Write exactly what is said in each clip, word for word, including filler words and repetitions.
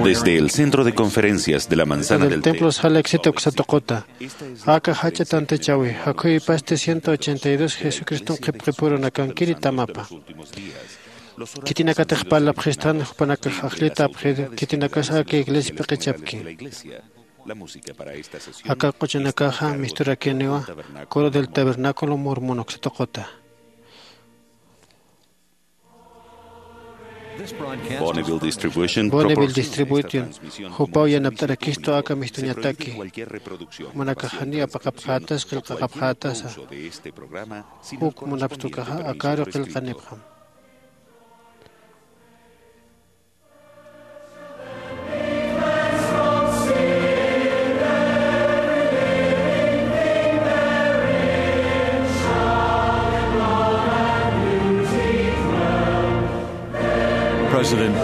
Desde el centro de conferencias de la manzana del templo sala éxito ksatuquta. Aka jach'a tantachawi jakhuy pasti ciento ochenta y dos Jesucriston qhipqipurunakankiri tamapa. Khitinakatix parlapxistan jupanakax ajllita apxidu khitinakas aka iglesia p'iqichapki. Aka q'uchunakaxa misturakiniwa coro del tabernáculo mormono ksatuquta. Bonneville Distribution jupaw yanapt'arakistu aka mistuñataki. Jumanakaxani apaqapxätas qillqaqapxätasa. Juk munapxtukaxa akaru qillqanipxam.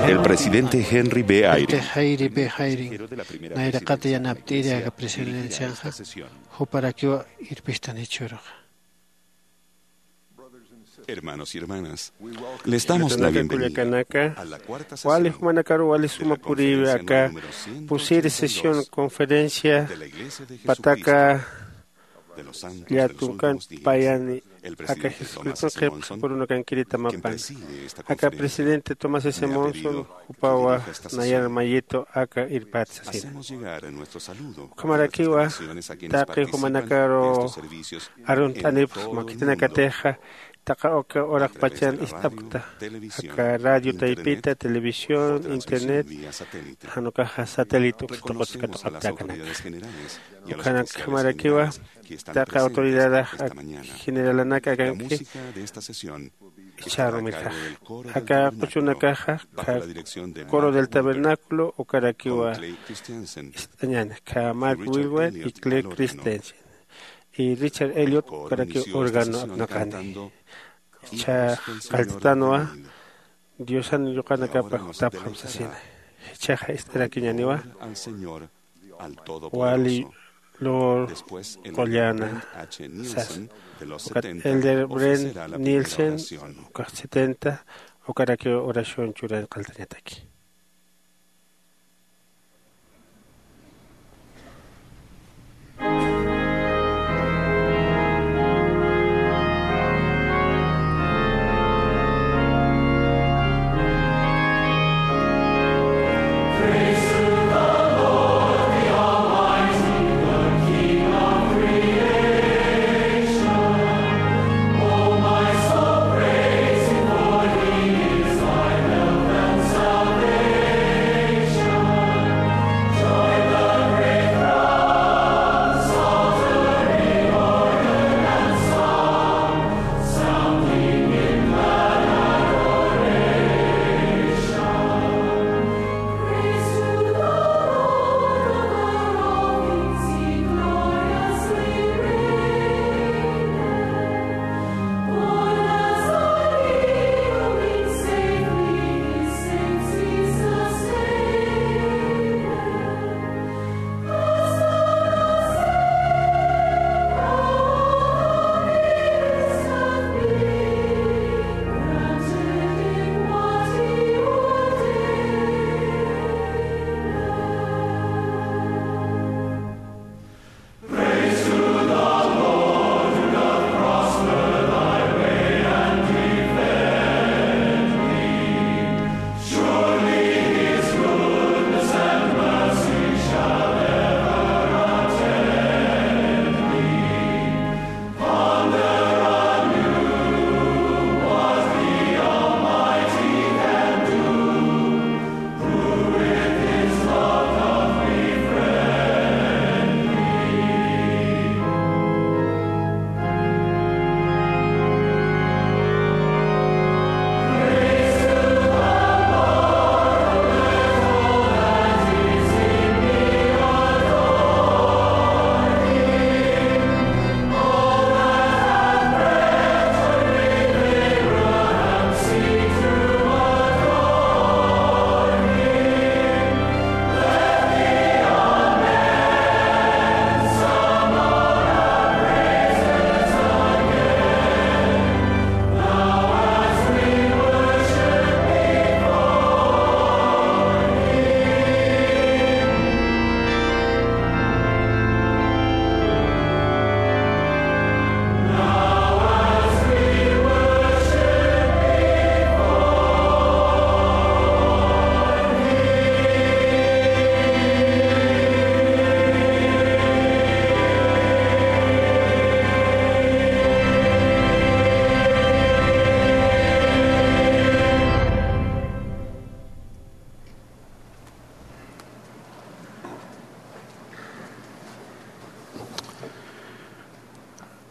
El presidente Henry B. Ayring, nayraqata yanapt'iri aka presidencianxa, juparakiwa irpistan jichhüruxa. Hermanos y hermanas, les damos la bienvenida a la cuarta sesión de la conferencia número ciento cuarenta y cinco de la Iglesia de Jesucristo de los Santos de los Últimos Días. Kullakanaka, wali jumanakaru wali suma puriwi aka pusiri sesión conferencia pataka llätunkan payani aka Jesucriston qhipqipurunakankiri tamapan. Aka presidente Thomas S. Monson jupawa nayan mayitu aka irpät sasina. Ukhamarakiwa taqi jumanakaru arunt'anipxsma khitinakatixa taqa uka uraqpachan ist'apkta aka radio taypita, televisión, internet, jan ukaxa satélite uksa tuqutsa katuqapta akanaka. Ukhanakjamarakiwa taqi autoridadax generalanaka akanki. Jichhärumirjax aka q'uchunakaxa coro del tabernáculo ukarakiwa ist'añäni, Mark Wilwell y Clay Christensen y Richard Elliot ukarakiw órgano apnaqani. Jichha qalltatanwa Diosan yuqanakapa jutapxam sasina. Jichhaxa ist'arakiñäniwa wali lur qulläna sasa. Ukat Elder Brent Nielsen ukax setenta ukarakiw oración churañ qalltañataki.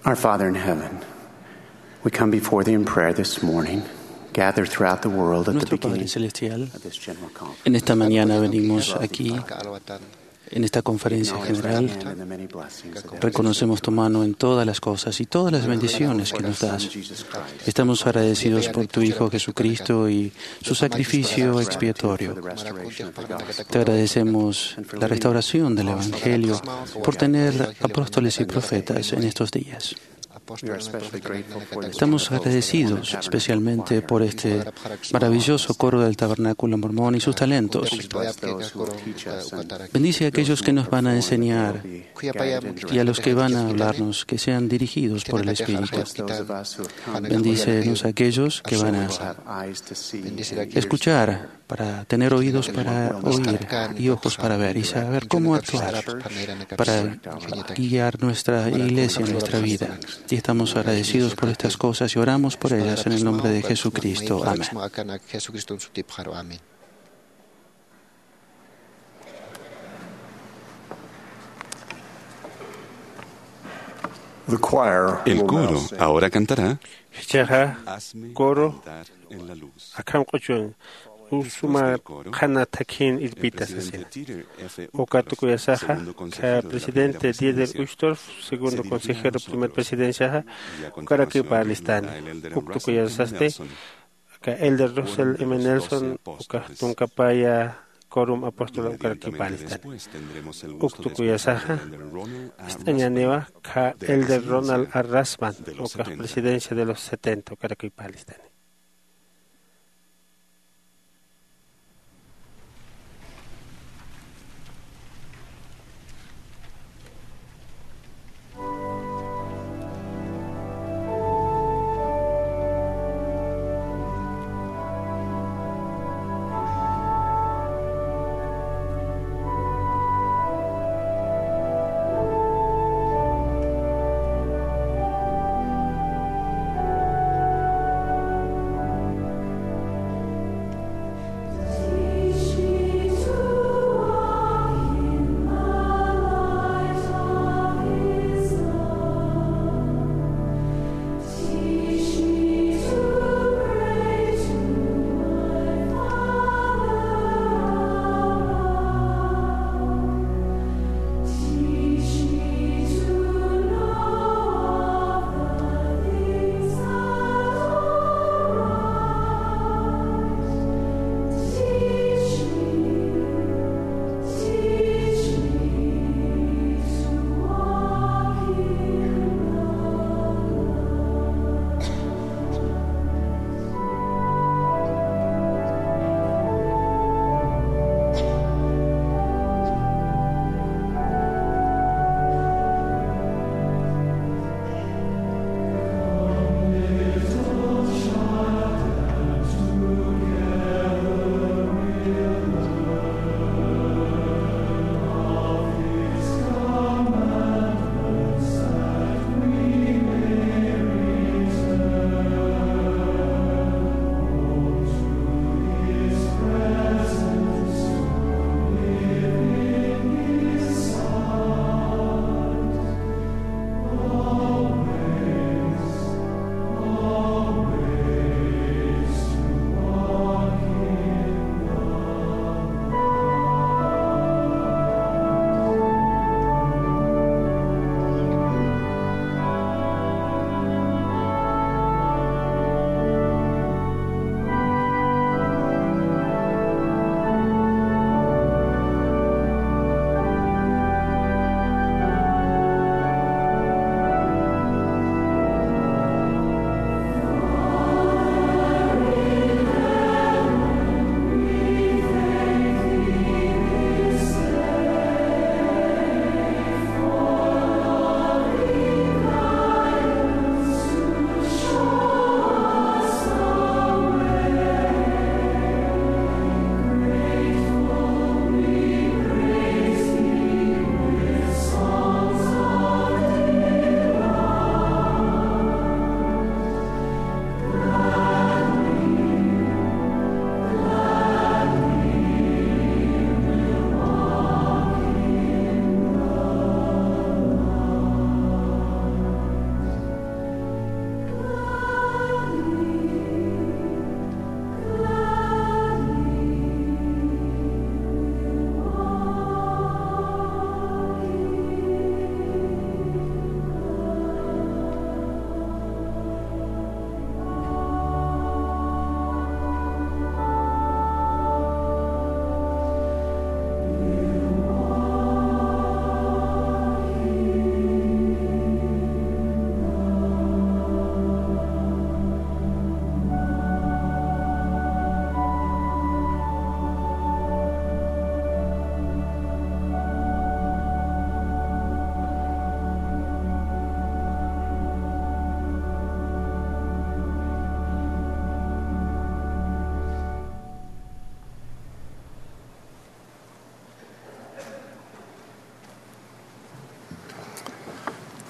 Our Father in heaven, we come before thee in prayer this morning, gathered throughout the world at the Nuestro Padre beginning Celestial, of this general conference. En esta mañana venimos aquí, en esta conferencia general. Reconocemos tu mano en todas las cosas y todas las bendiciones que nos das. Estamos agradecidos por tu Hijo Jesucristo y su sacrificio expiatorio. Te agradecemos la restauración del Evangelio por tener apóstoles y profetas en estos días. Estamos agradecidos especialmente por este maravilloso coro del Tabernáculo Mormón y sus talentos. Bendice a aquellos que nos van a enseñar y a los que van a hablarnos, que sean dirigidos por el Espíritu. Bendícenos a aquellos que van a escuchar, para tener oídos para oír y ojos para ver y saber cómo actuar para guiar nuestra iglesia, nuestra vida. Y estamos agradecidos por estas cosas y oramos por ellas en el nombre de Jesucristo. Amén. The choir El will now coro sing. Ahora cantará Jichhaxa Hazme coro andar en la luz. Akham q'uchun, usuma qhana thakhin irpita sasina. Uka tukuyasaxa, kha presidente Dieter Uchtdorf, segundo consejero, primer presidenciaxa, ukarakiw parlistani. Uk tukuyasasti, aka Elder Russell M. Nelson, uka tunkapaya Quorum Apóstol ukarakipalistan. Uk tukuyasaxa, ist'añaniwa kha Elder Ronald R. Rasband, uka presidencia de los setenta ukarakipalistan.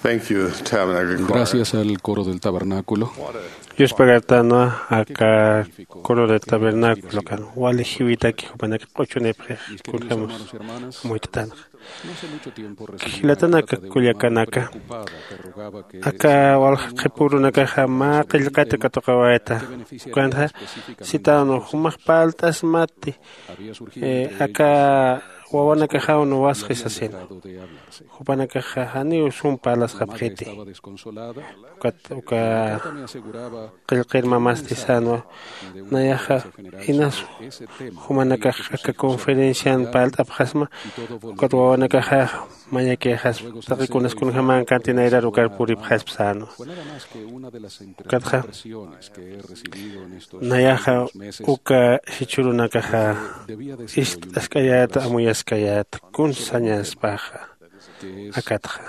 Thank you, Tabernacle Choir. Gracias al coro del tabernáculo. Yuspagartanwa aka coro del tabernáculo kan wali jiwitaki jupanaka q'uchunipxix kunjämas amuytatanxa. Jilatanaka kullakanaka, aka walja qhipürunakaxa mä qillqata katuqawayta. Ukanxa sitanwa jumax parlt'asmati, aka wawanakaxaw nuwasxi sasina. Jupanakaxa janiw sum parlasxapxiti. Ukat uka qillqir mamasti sänwa, nayaxa inas jumanakax aka conferencian parlt'apxasma. Ukat wawanakaxa mayakïxaspa taqi kunas kunjämänkanti nayrar ukar puripxaspa sänwa. Ukatxa nayaxa uka jichhürunakaxa ist'askayäta, amuyaskayäta, kun sañaspaxa. Akatxa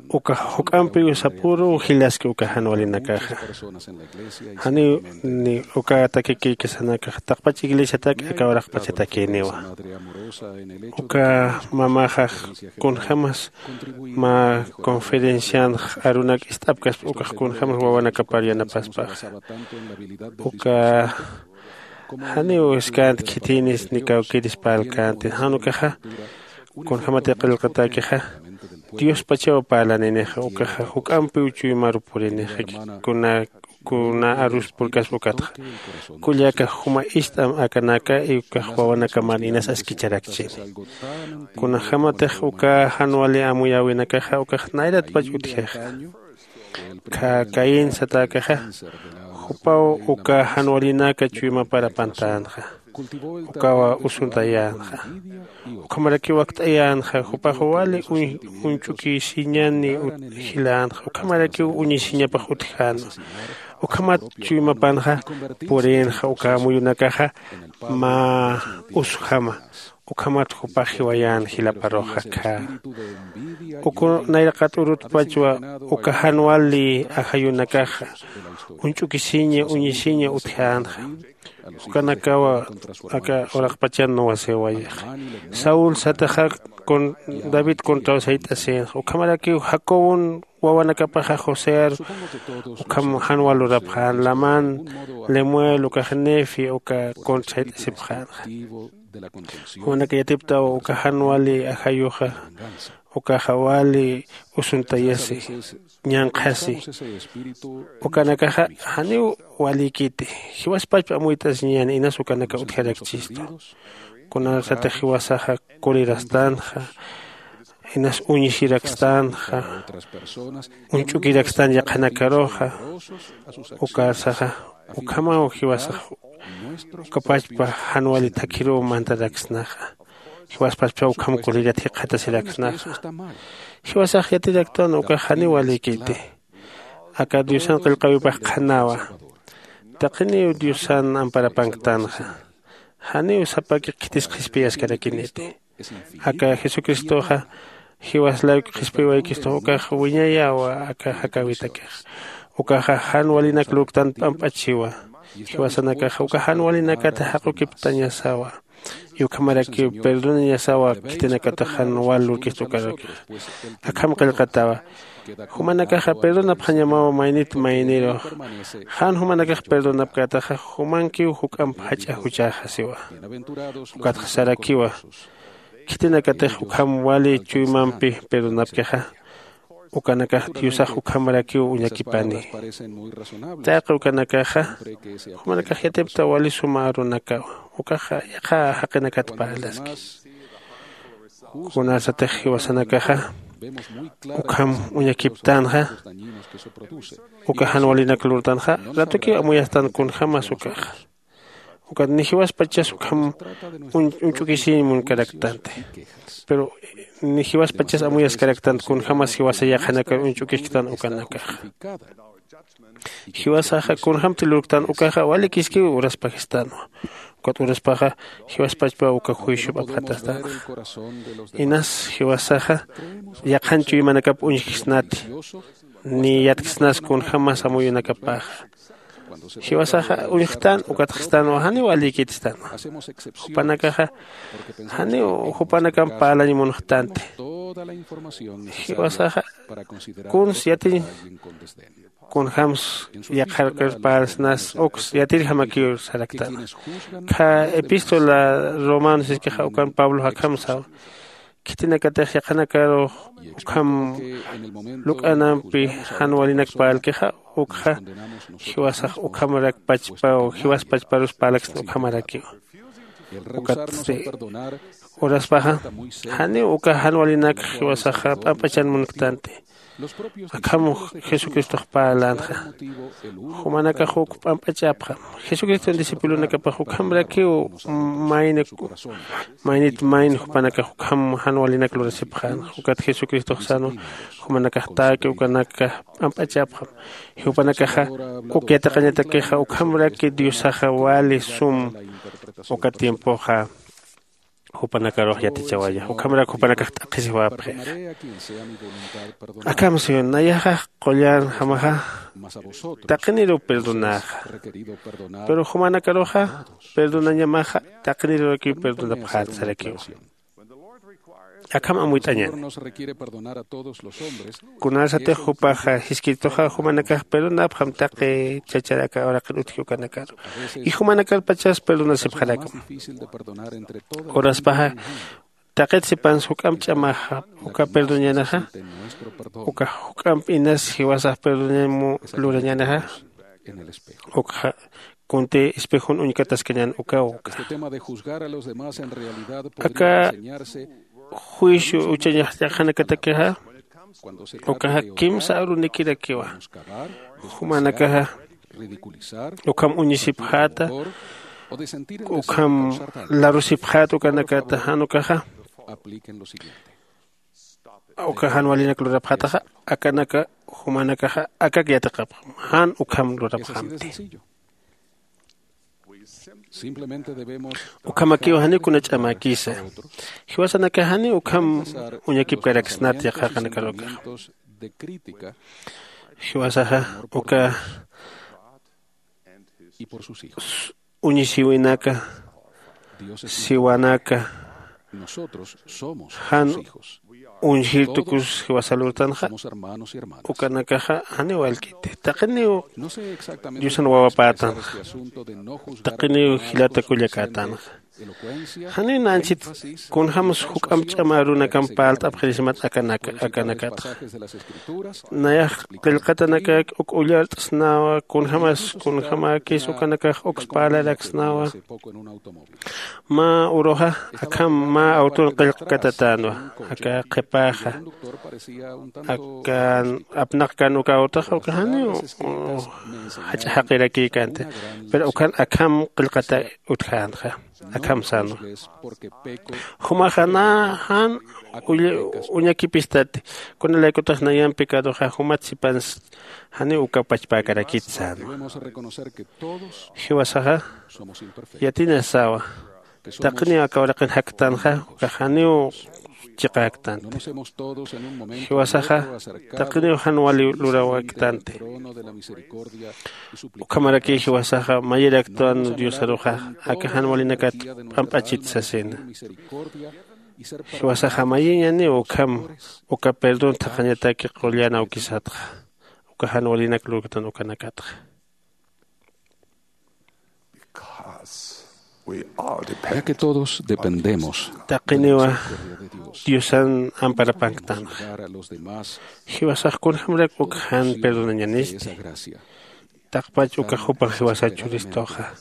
uka juk'ampiw sapüru jilaski uka jan walinakaxa. Janiw ni uka takikïkisanakax taqpach iglesiatak aka uraqpachatakïniwa. Uka mamaxax kunjämas mä conferencianx arunak ist'apkaspa ukax kunjämas wawanakapar yanapaspaxa. Uka janiw iskänti khithinis ni kawkïris parlkänti jan ukaxa. Kunjämatix qillqatäkixa diospachaw parlaninixa ukaxa juk'ampiw chuymaru purinixaki. Kuna kuna arus purkaspa ukatxa kullaka juma ist'am akanaka ukax wawanakaman inas askicharakchini. Kunjämatix uka jan wali amuyäwinakaxa ukax nayratpach utjixa. Caín satäkaxa jupaw uka jan walinaka chuymapar apantänxa. Ukawa usuntayänxa. Ukhamarakiw wakt'ayänxa jupax wali uñch'ukisiñani jilänxa ukhamarakiw uñisiñapax utjänwa. Ukhamat chuymapanxa purïnxa uka amuyunakaxa mä usjama. Ukhamat jupax jiwayän jilaparux akha. Uku nayraqat urutpachwa uka jan wali ajayunakaxa uñch'ukisiña uñisiña utjänxa. Ukanakawa aka uraqpachan nuwasiwayixa. Saúl sataxa david contraw sayt'asïnxa ukhamarakiw jacobon wawanakapaxa josear ukham jan wal lurapxän lamán, lemuel ukax nefi uka contrasayt'asipxänxa. Jumanaka yatiptaw uka jan wali ajayuxa ukaxa wali usuntayasi ñanqhasi. Ukanakaxa janiw walïkiti. Jiwaspachpa amuyt'asiñäni inas ukanaka utjarakchistu. Kunasatix jiwasaxa kulirastanxa inas uñisirakstanxa uñch'ukirakstan yaqhanakaruxa. Ukarsaxa ukhamaw jiwasax ukapachpa jan wali thakhiruw mantaraksnaxa. Jiwaspachpa ukham kulirat jikxatasiraksnaxa. Jiwasax yatiraktwan ukax janiw walïkiti. Aka diosan qillqäwipax qhanawa. Taqiniw diosan amparapanktanxa. Janiw sapaki khitis qhispiyaskarakiniti. Aka jesucristoxa jiwas layku qhispiwaykistux ukax wiñayawa aka jakäwitakix. Ukaxa jan walinak lurktan p'amp'achiwa. Jiwasanakaxa uka jan walinakata jaqukiptañasawa. Ukhamarakiw perdonañasawa khitinakatax jan wal lurkista ukarakix. Akham qillqatawa. Jumanakaxa perdonapxañamaw maynit maynirux. Jan jumanakax perdonapkätaxa jumankiw juk'amp jach'a juchäxa siwa. Ukatxa sarakiwa. Khitinakatix ukham wali chuymampi perdonapkixa ukanakax diosax ukhamarakiw uñakipani. Taqi ukanakaxa jumanakax yatipta wali suma arunakawa. Ukaxa yaqha jaqinakat parlaski. Kunasatix jiwasanakaxa ukham uñakiptänxa uka jan walinak lurtänxa ratukiw amuyastan kunjämas ukaxa. Ukat ni jiwaspachas ukham uñch'ukisiñ munkaraktanti. Pero ni jiwaspachas amuyaskaraktanti kunjämas jiwasa yaqhanakar uñch'ukisktan ukanakaxa. Jiwasaxa kunjämti lurktan ukaxa walikiskiw uraspajistanwa. Ukat uraspaxa jiwaspachpa uka juiciop apxatastanxa. Inas jiwasaxa yaqhan chuymanakap uñjksnati. Ni yatksnas kunjämas amuyunakapaxa. Jiwasaxa uñjktan ukatxstanwa janiw walïkitstanwa. Jupanakaxa janiw jupanakamp parlañ munxtanti. Jiwasaxa kuns yatiñ kunjämsa yaqharkir parlsnas uks yatirjamakiw saraktan. Kha epístola romano siskixa ukan pablo akham sawa. Khitinakatix yaqhanakarux ukham luk'anampi jan walinak parlkixa ukxa jiwasax ukhamarak pachpaw jiwas pachparus parlaksna ukhamarakiw. Ukatsti uraspaxa janiw uka jan walinak jiwasaxa p'amp'achan munktanti. Akham jesucristox parlänxa. Jumanakax uk p'amp'achapxam. Jesucriston discipulonakapax ukhamrakiw mayni maynit mayni jupanakax ukham jan walinak lurasipxänxa. Ukat jesucristox sänwa jumanakax täki ukanakax p'amp'achapxam. Jupanakaxa uk yatiqañatakixa ukhamraki diosaxa wali sum uka tiempoxa jupanakarux yatichawaya ukhamrak jupanakax t'aqhisiwapxixa. Akham siwan nayaxax qullanjamaxa taqiniruw perdonäxa. Pero jumanakaruxa perdonañamaxa taqinirurakiw perdonapxät sarakiwa. Akham amuyt'añäni. Kunasatix jupaxa jiskirituxa jumanakax perdonapxam taqi chacharaka uraqin utji ukanakaru. Y jumanakarpachas perdonasipxarakma. Uraspaxa taqit sipansa juk'amp ch'amaxa uka perdonañänixa uka juk'amp inas jiwasax perdonañam lurañänixa. Ukxa kunti espejon uñkataskañän ukaw uka aka juicio uchañax yaqhanakatakixa ukaxa kimsa arunikirakiwa. Jumanakaxa ukham uñisipxäta ukham larusipxäta ukanakata jan ukaxa uka jan walinak lurapxätaxa akanaka jumanakaxa akak yatiqapxam jan ukham lurapxamti. Ukhamakiw janiw kuna ch'amäkisa. Jiwasanakax janiw ukham uñakipkaraksnat yaqhaqanakarukaxa. Jiwasaxa uka uñisiwinaka siwanaka jan uñjir tukus jiwasa lurtanxa ukanakaxa janiw wallkiti. Taqiniw diosan wawapätanxa taqiniw jilata kullakätanxa. Janiw nanchit kunjämsa juk'amp ch'ama arunakamp parlt'apxirismat akanakatxa. Nayax qillqatanakak uk ullart'snawa kunjämas kunjämäkis ukanakax uks parlaraksnawa. Mä uruxa akham mä awtun qillqkatatänwa aka qhipäxa akan apnaqkan uka awtaxa uka janiw jach'a jaqirakïkänti. Pero ukan akham qillqata utjänxa akham sänwa. Jumaxa nä jan uñakipistati. Kunalaykutix nayan pecadoxa jumat sipans janiw uka pachpäkarakit sänwa. Jiwasaxa yatinasawa taqiniw aka uraqin jaktanxa ukax janiw chiqäktanti. Jiwasaxa taqiniw jan wali luräwäktanti. Ukhamaraki jiwasaxa mayiraktwan diosaruxa aka jan walinakat p'amp'achit sasina. Jiwasaxa mayiñaniw ukham uka perdón thaqhañataki qullan awkisatxa uka jan walinak lurktan ukanakatxa. Ya que todos dependemos taqiniwa diosan amparapanktanxa. Jiwasax kunjämrak uk jan perdonañanisti. Taqpach ukax jupax jiwasa churistuxa.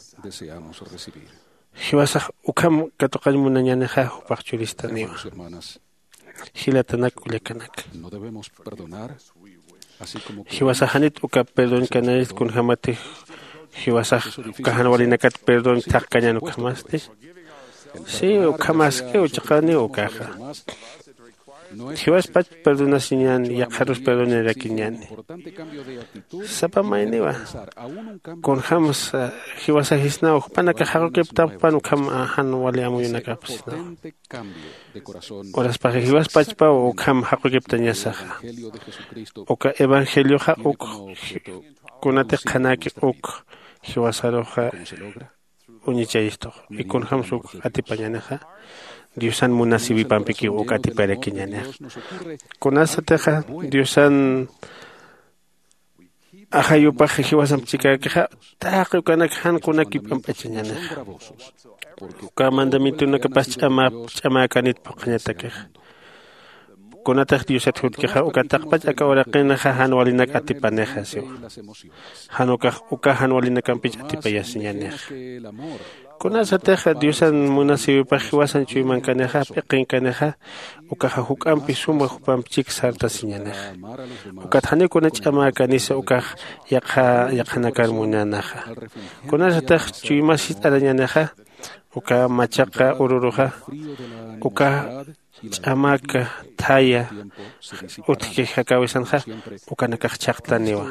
Jiwasax ukham katuqañ munañänixa jupax churistaniwa. Jilatanak kullakanak, jiwasax janit uka perdoñkanayist kunjämatix jiwasax uka jan walinakat perdoñ thaqkañän ukhamasti. Si ukhamaskiw chiqaniw ukaxa jiwaspach perdonasiñäni yaqharus perdoñarakiñäni. Sapa mayniwa kunjämsa jiwasajisnaw jupanakax jaqukiptapxpan ukham jan wali amuyunakapsnaw. Uraspaxa jiwaspachpaw ukham jaqukiptañasaxa. Uka evangelioxa uk kunatix qhanäki uk jiwasaruxa uñichayistux. Ikunjämsa uk atipañänixa Diosan munasiwipampikiw uk atiparakiñanixa. Kunasatixa diosan ajayupax jiwasamp chikäkixa, taqi ukanak jan kunak kip'amp'achañanixa. Uka mandamientonakapas ch'amäkanit phuqhañatakixa. Kunatix diosat jutkixa uka taqpach aka uraqinaxa jan walinak atipanixa siwa. Jan ukax uka jan walinakampich atipayasiñanixa. Kunasatixa diosan munasiwipax jiwasan chuymankanixa p'iqinkanixa, ukaxa juk'ampi suma jupamp chik sartasiñanixa. Ukat janiw kuna ch'amäkanisa ukax yaqha yaqhanakar munanaxa. Kunasatix chuymas jist'arañanixa, uka machaqa ururuxa uka ch'amaka thaya utjki jakäwisanxa, ukanakax chhaqtaniwa.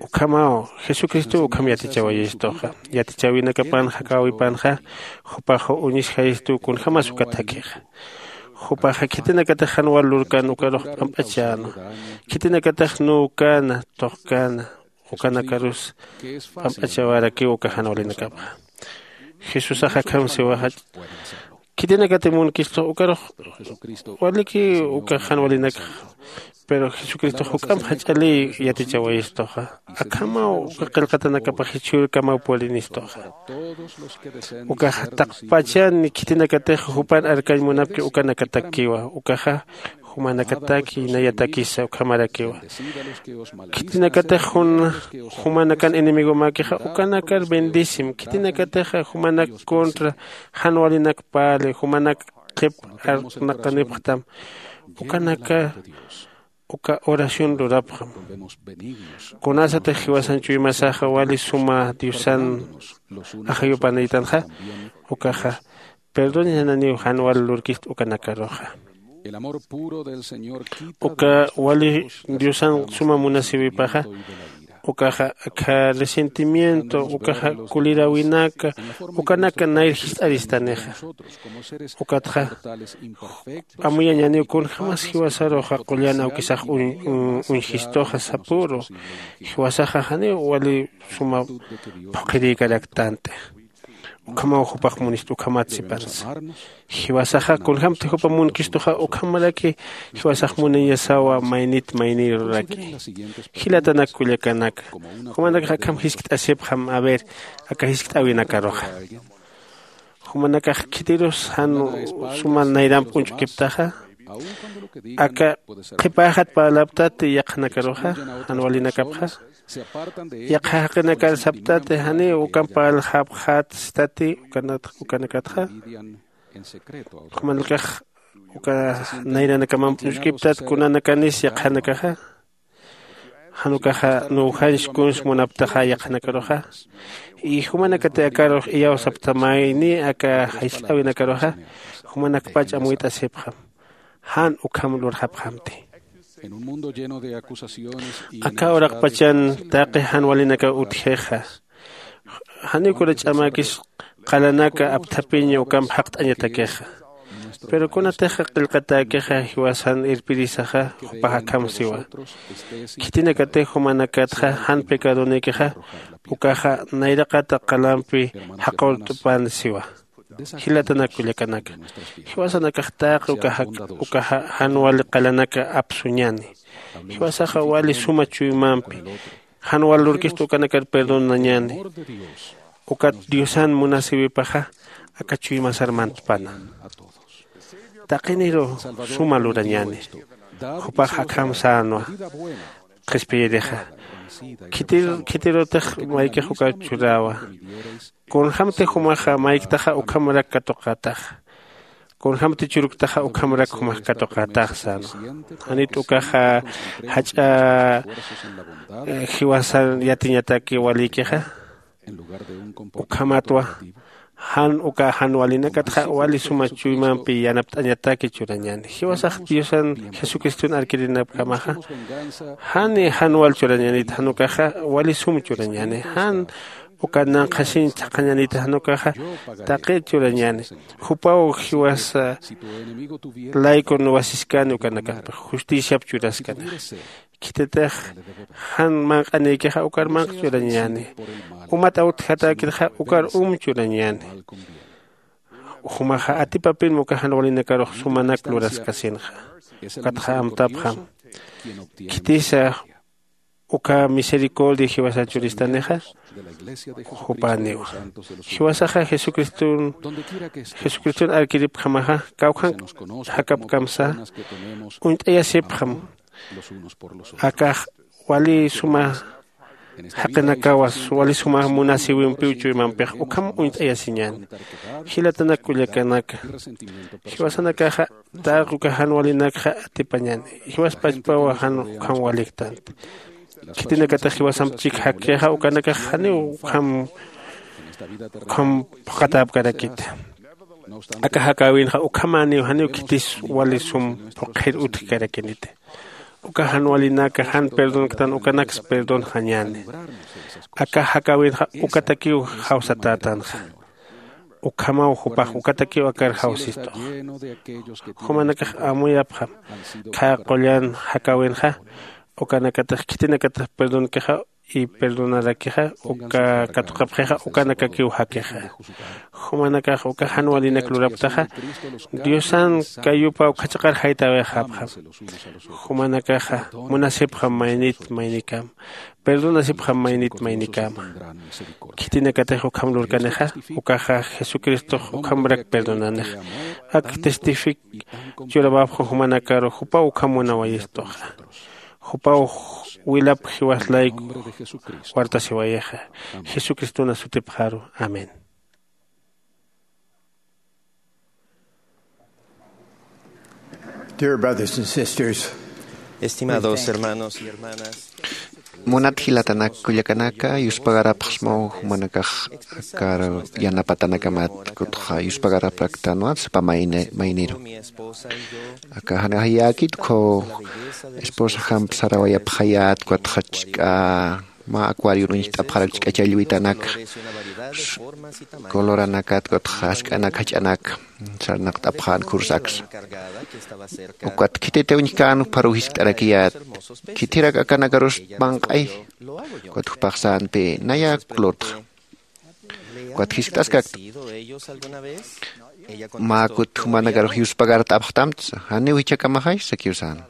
Ukhamaw jesucristow ukham yatichawayistuxa. Yatichäwinakapan jakäwipanxa jupax uñisjayistuw kunjämas ukat jakhixa. Jupaxa khitinakatix jan wal lurkan ukarux p'amp'achänwa. Khitinakatix nuwkäna tuqkäna ukanakarus p'amp'achawarakiw uka jan walinakapxa. Jesusax akham siwaxa, khitinakati munkistux ukarux waliki uka jan walinakxa. Pero jesucristox juk'amp jach'aliy yatichawayistuxa. Akhamaw uka qillqatanakapax jichhürkamaw purinistuxa. Ukax taqpachan khitinakatix jupan arkañ munapki ukanakatakkiwa. Ukaxa jumanakataki nayatakisa ukhamarakiwa. Khitinakatix jun jumanakan enemigomäkixa ukanakar bendisim. Khitinakatixa jumanak contra jan walinak parli jumanak qhip arnaqanipxtam, ukanaka uka oración lurapxam. Kunasatix jiwasan chuymasaxa wali suma diosan ajayupanïtanxa, ukaxa perdonananiw jan wal lurkist ukanakaruxa. Uka wali diosan suma munasiwipaxa ukaxa akha resentimiento ukaxa kuliräwinaka ukanaka nayr jist'aristanixa. Ukatxa amuyañaniw kunjämas jiwasaruxa qullan awkisax uñjistuxa sapüru. Jiwasaxa janiw wali suma phuqhirïkaraktanti. Ukhamaw jupax munist ukhamat sipansa. Jiwasaxa kunjämti jupa munkistuxa ukhamaraki jiwasax munañasawa maynit maynïruraki. Jilatanak kullakanaka, jumanakax akham jiskt'asipxam a ver aka jiskt'äwinakaruxa. Jumanakax khitirus jan suma nayramp uñch'ukiptaxa, aka qhipäxat parlaptati yaqhanakaruxa jan walinakapxa, yaqha jaqinakar saptati janiw ukamp parlxapxätstati ukanakatxa. Jumanakax uka nayranakamamp uñch'ukiptat kunanakanis yaqhanakaxa. Jan ukaxa nuwjanch kuns munaptaxa yaqhanakaruxa. Y jumanakati akarux iyawsaptamayni aka jist'äwinakaruxa, jumanakpach amuyt'asipxam. Jan ukham lurxapxamti. Aka uraqpachan taqi jan walinakaw utjixa, janiw kuna ch'amäkis qalanaka apthapiña ukamp jaqt'añatakixa. Pero kunatixa qillqatäkixa jiwasan irpirisaxa jupax akham siwa. Khitinakatix jumanakatxa jan pecadonïkixa ukaxa nayraqata qalampi jaqurt'pan siwa. Jilatanak kullakanaka, jiwasanakax taqi uka jan wali qalanaka apsuñäni. Jiwasaxa wali suma chuymampi jan wal lurkist ukanakar perdonañäni. Ukat diosan munasiwipaxa aka chuymasar mantpana. Taqiniru suma lurañäni. Jupax akham sänwa qhispiyirixa. Khitir khitirutix maykix ukar churäwa. Kunjämti jumaxa mayktaxa ukhamarak katuqätaxa. Kunjämti churuktaxa ukhamarak jumax katuqätaxa sänwa. Janit ukaxa jach'a jiwasan yatiñataki walïkixa. Ukhamatwa jan uka jan walinakatxa wali suma chuymampi yanapt'añataki churañäni. Jiwasax diosan jesucriston arkirinapkamaxa, jani jan wal churañänit jan ukaxa wali sum churañäni. Jan uka nanqhasiñ thaqhañänit jan ukaxa taqi churañäni. Jupaw jiwasa laykun wasiskani ukanakampix justiciap churaskanixa. Khititix jan manq'anïkixa ukar manq churañäni. Umat awtjatäkirxa ukar um churañäni. Jumaxa atipapinma uka jan walinakarux sumanak luraskasinxa. Ukatxa amtapxam khitisa uka misericordia jiwasa churistanixa jupaniwa. Jiwasaxa jesucriston jesucriston arkiripjamaxa kawkhan jakapkamsa uñt'ayasipxam. Akax wali suma jaqinakawas wali suma munasiwimpiw chuymampix ukham uñt'ayasiñäni. Jilatanak kullakanaka, jiwasanakaxa taqi uka jan walinakxa atipañäni. Jiwas pachpawa jan ukham waliktanti. Khitinakatix jiwasamp chik jakixa ukanakax janiw ukham ukham phuqatäpkarakita. Aka jakäwinxa ukhamäniw janiw khitis wali sum phuqhir utjkarakiniti. Uka jan walinaka jan perdonktan ukanaksa perdonxañäni. Aka jakäwinxa ukatakiw jawsatätanxa. Ukhamaw jupax ukatakiw akar jawsist'ux. Jumanakax amuyapxam khä qullan jakäwinxa ukanakatix khitinakatix perdonkixa y perdonarakixa uka katuqapxixa ukanakakiw jakixa. Jumanakax uka jan walinak lurapktaxa diosan kayupaw khachaqar jaytäwixapxam. Jumanakaxa munasipxam maynit maynikama. Perdonasipxam maynit maynikama. Khitinakatix ukham lurkanixa ukaxa jesucristox ukhamrak perdonanixa. Ak testific churamapxu jumanakaru jupaw ukham munawayist'uxa. Jupaw wilap jiwas layku wartasiwayixa. Jesucristona sutipxaru. Amén. Dear brothers and sisters, estimados hermanos y hermanas, munat jilatanak kullakanaka yuspagarapxsmaw jumanakax akar yanapatanakamat kutxa yuspagarapraktanwa sapa mayniru. Aka janajayäkit ukhaw esposajamp sarawayapxayät ukatxa ch'k'a mä acuarion uñjt'apxarak ch'k'a challwitanaka, coloranakat ukatxa jask'anak jach'anak sarnaqt'apxän kursaksa. Ukat khititiw uñjkän jupharuw jiskt'arakiyät khithirak akanakarus manq'ay. Ukat jupax sänti naya klotxa. Ukat jiskt'askakta mä kut jumanakarux yuspagart'apxtamtsa janiw jichhakamaxay sakiw sän.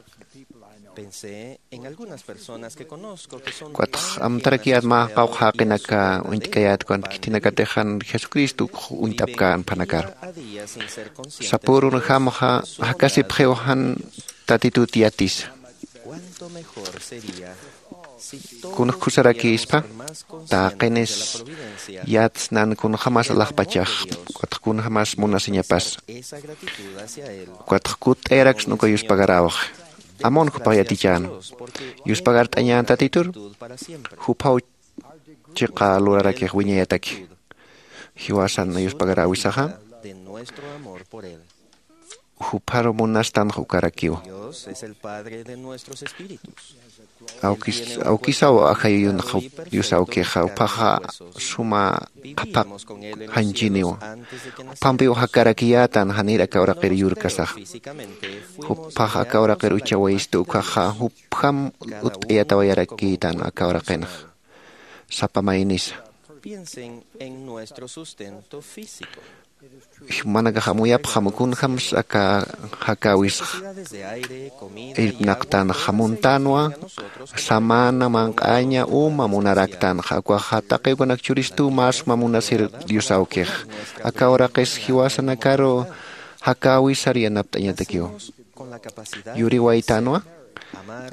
Ukatx amtarakiyät mä qawqha jaqinaka uñt'kayät ukan khitinakatix jan jesucristo uñt'apkän phanakaru. Sapürunjamxa jakasipxiw jan tatitut yatisa. Kunjkhusarakïspa taqinis yatsnan kunjämas alaxpachax ukatx kunjämas munasiñapasa. Ukatx kutt'ayaraksna uka yuspagaräwxi. Amun jupax yatichäna yuspagart'añän tatitur juphaw chiqa lurarakix wiñayataki. Jiwasan yuspagaräwisaxa jupharu munastanx ukarakiwa. Awkisaw ajayuyunxa dios awkixa juphaxa suma qhapaq janchiniwa. Juphampiw jakarakiyätan janir aka uraqir yurkasaxa. Juphax aka uraqir uchawayistu ukhaxa jupjam utt'ayatawayarakïtan aka uraqinxa sapa maynisa. Manakax amuyapxam kunjämsa aka jakäwisxa irpnaqtanxa muntänwa. Samana manq'aña uma munaraktanxa ukaxa taqi ukanak churistuw mä suma munasir dios awkix. Aka uraqis jiwasanakaru jakäwisar yanapt'añatakiw. Yuriwaytänwa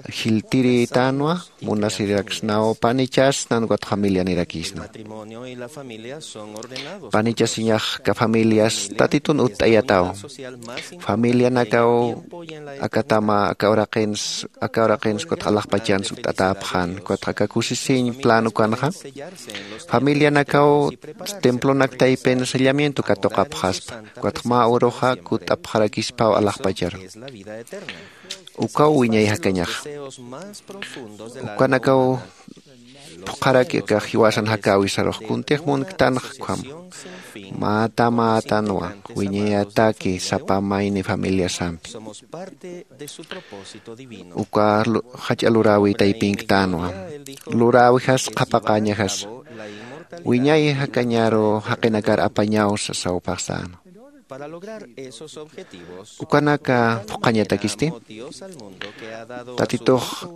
jiltirïtänwa munasiraksnaw panichasnan ukat familianirakïsnaw. Panichasiñax aka familias tatitun utt'ayatäw. Familianakaw akatama aka uraqins aka uraqins ukatx alaxpachans utt'atäpxän ukatx aka kusisiñ plan ukanxa familianakaw templonak taypin sellamiento katuqapxaspa. Ukatx mä uruxa kutt'apxarakispaw alaxpacharu. Ukaw wiñay jakañaxa ukanakaw phuqharaki akax jiwasan jakäwisarux kuntix munktanxa ukham. Mätamätanwa wiñayataki sapa mayni familiasampi. Uka jach'a luräwi taypinktanwa luräwijas qhapaqäñajas. Wiñay jakañaru jaqinakar apañaw sasaw phaxsänwa. Ukanaka phuqhañatakisti, Tatitux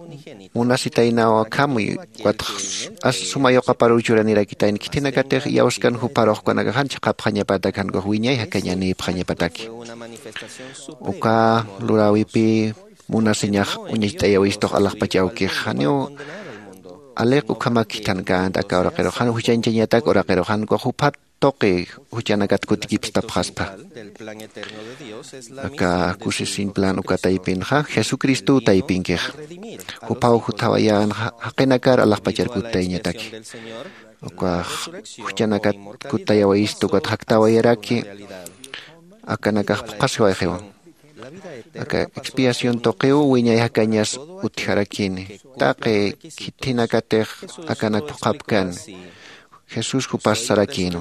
munasitaynaw akham, ukat suma yuqaparuw churanirakitayna, khithinakatix iyawskan jupharux ukanakax jan chiqapxañapatak, jan ukax wiñay jakañanïpxañapataki. Uka luräwipï munasiñax uñacht'ayawistux alaxpach awkix, janiw aliq ukhamak khithankänti aka uraqirux, jan juchañchañatak uraqirux, jan ukax juphat tuqi juchanakat kutikipstapxaspa. Aka kusisiñ plan uka taypinxa Jesucristow taypinkixa. Jupaw jutawayänxa jaqinakar alaxpachar kuttayñataki. Ukax juchanakat kuttayawayistu, ukat jaktäwayaraki, akanakax phuqhasiwayxiwa. Aka expiación tuqiw wiñay jakañas utjarakini. Taqi khithinakatix akanak phuqhapkani. Jesús jupas sarakïnwa.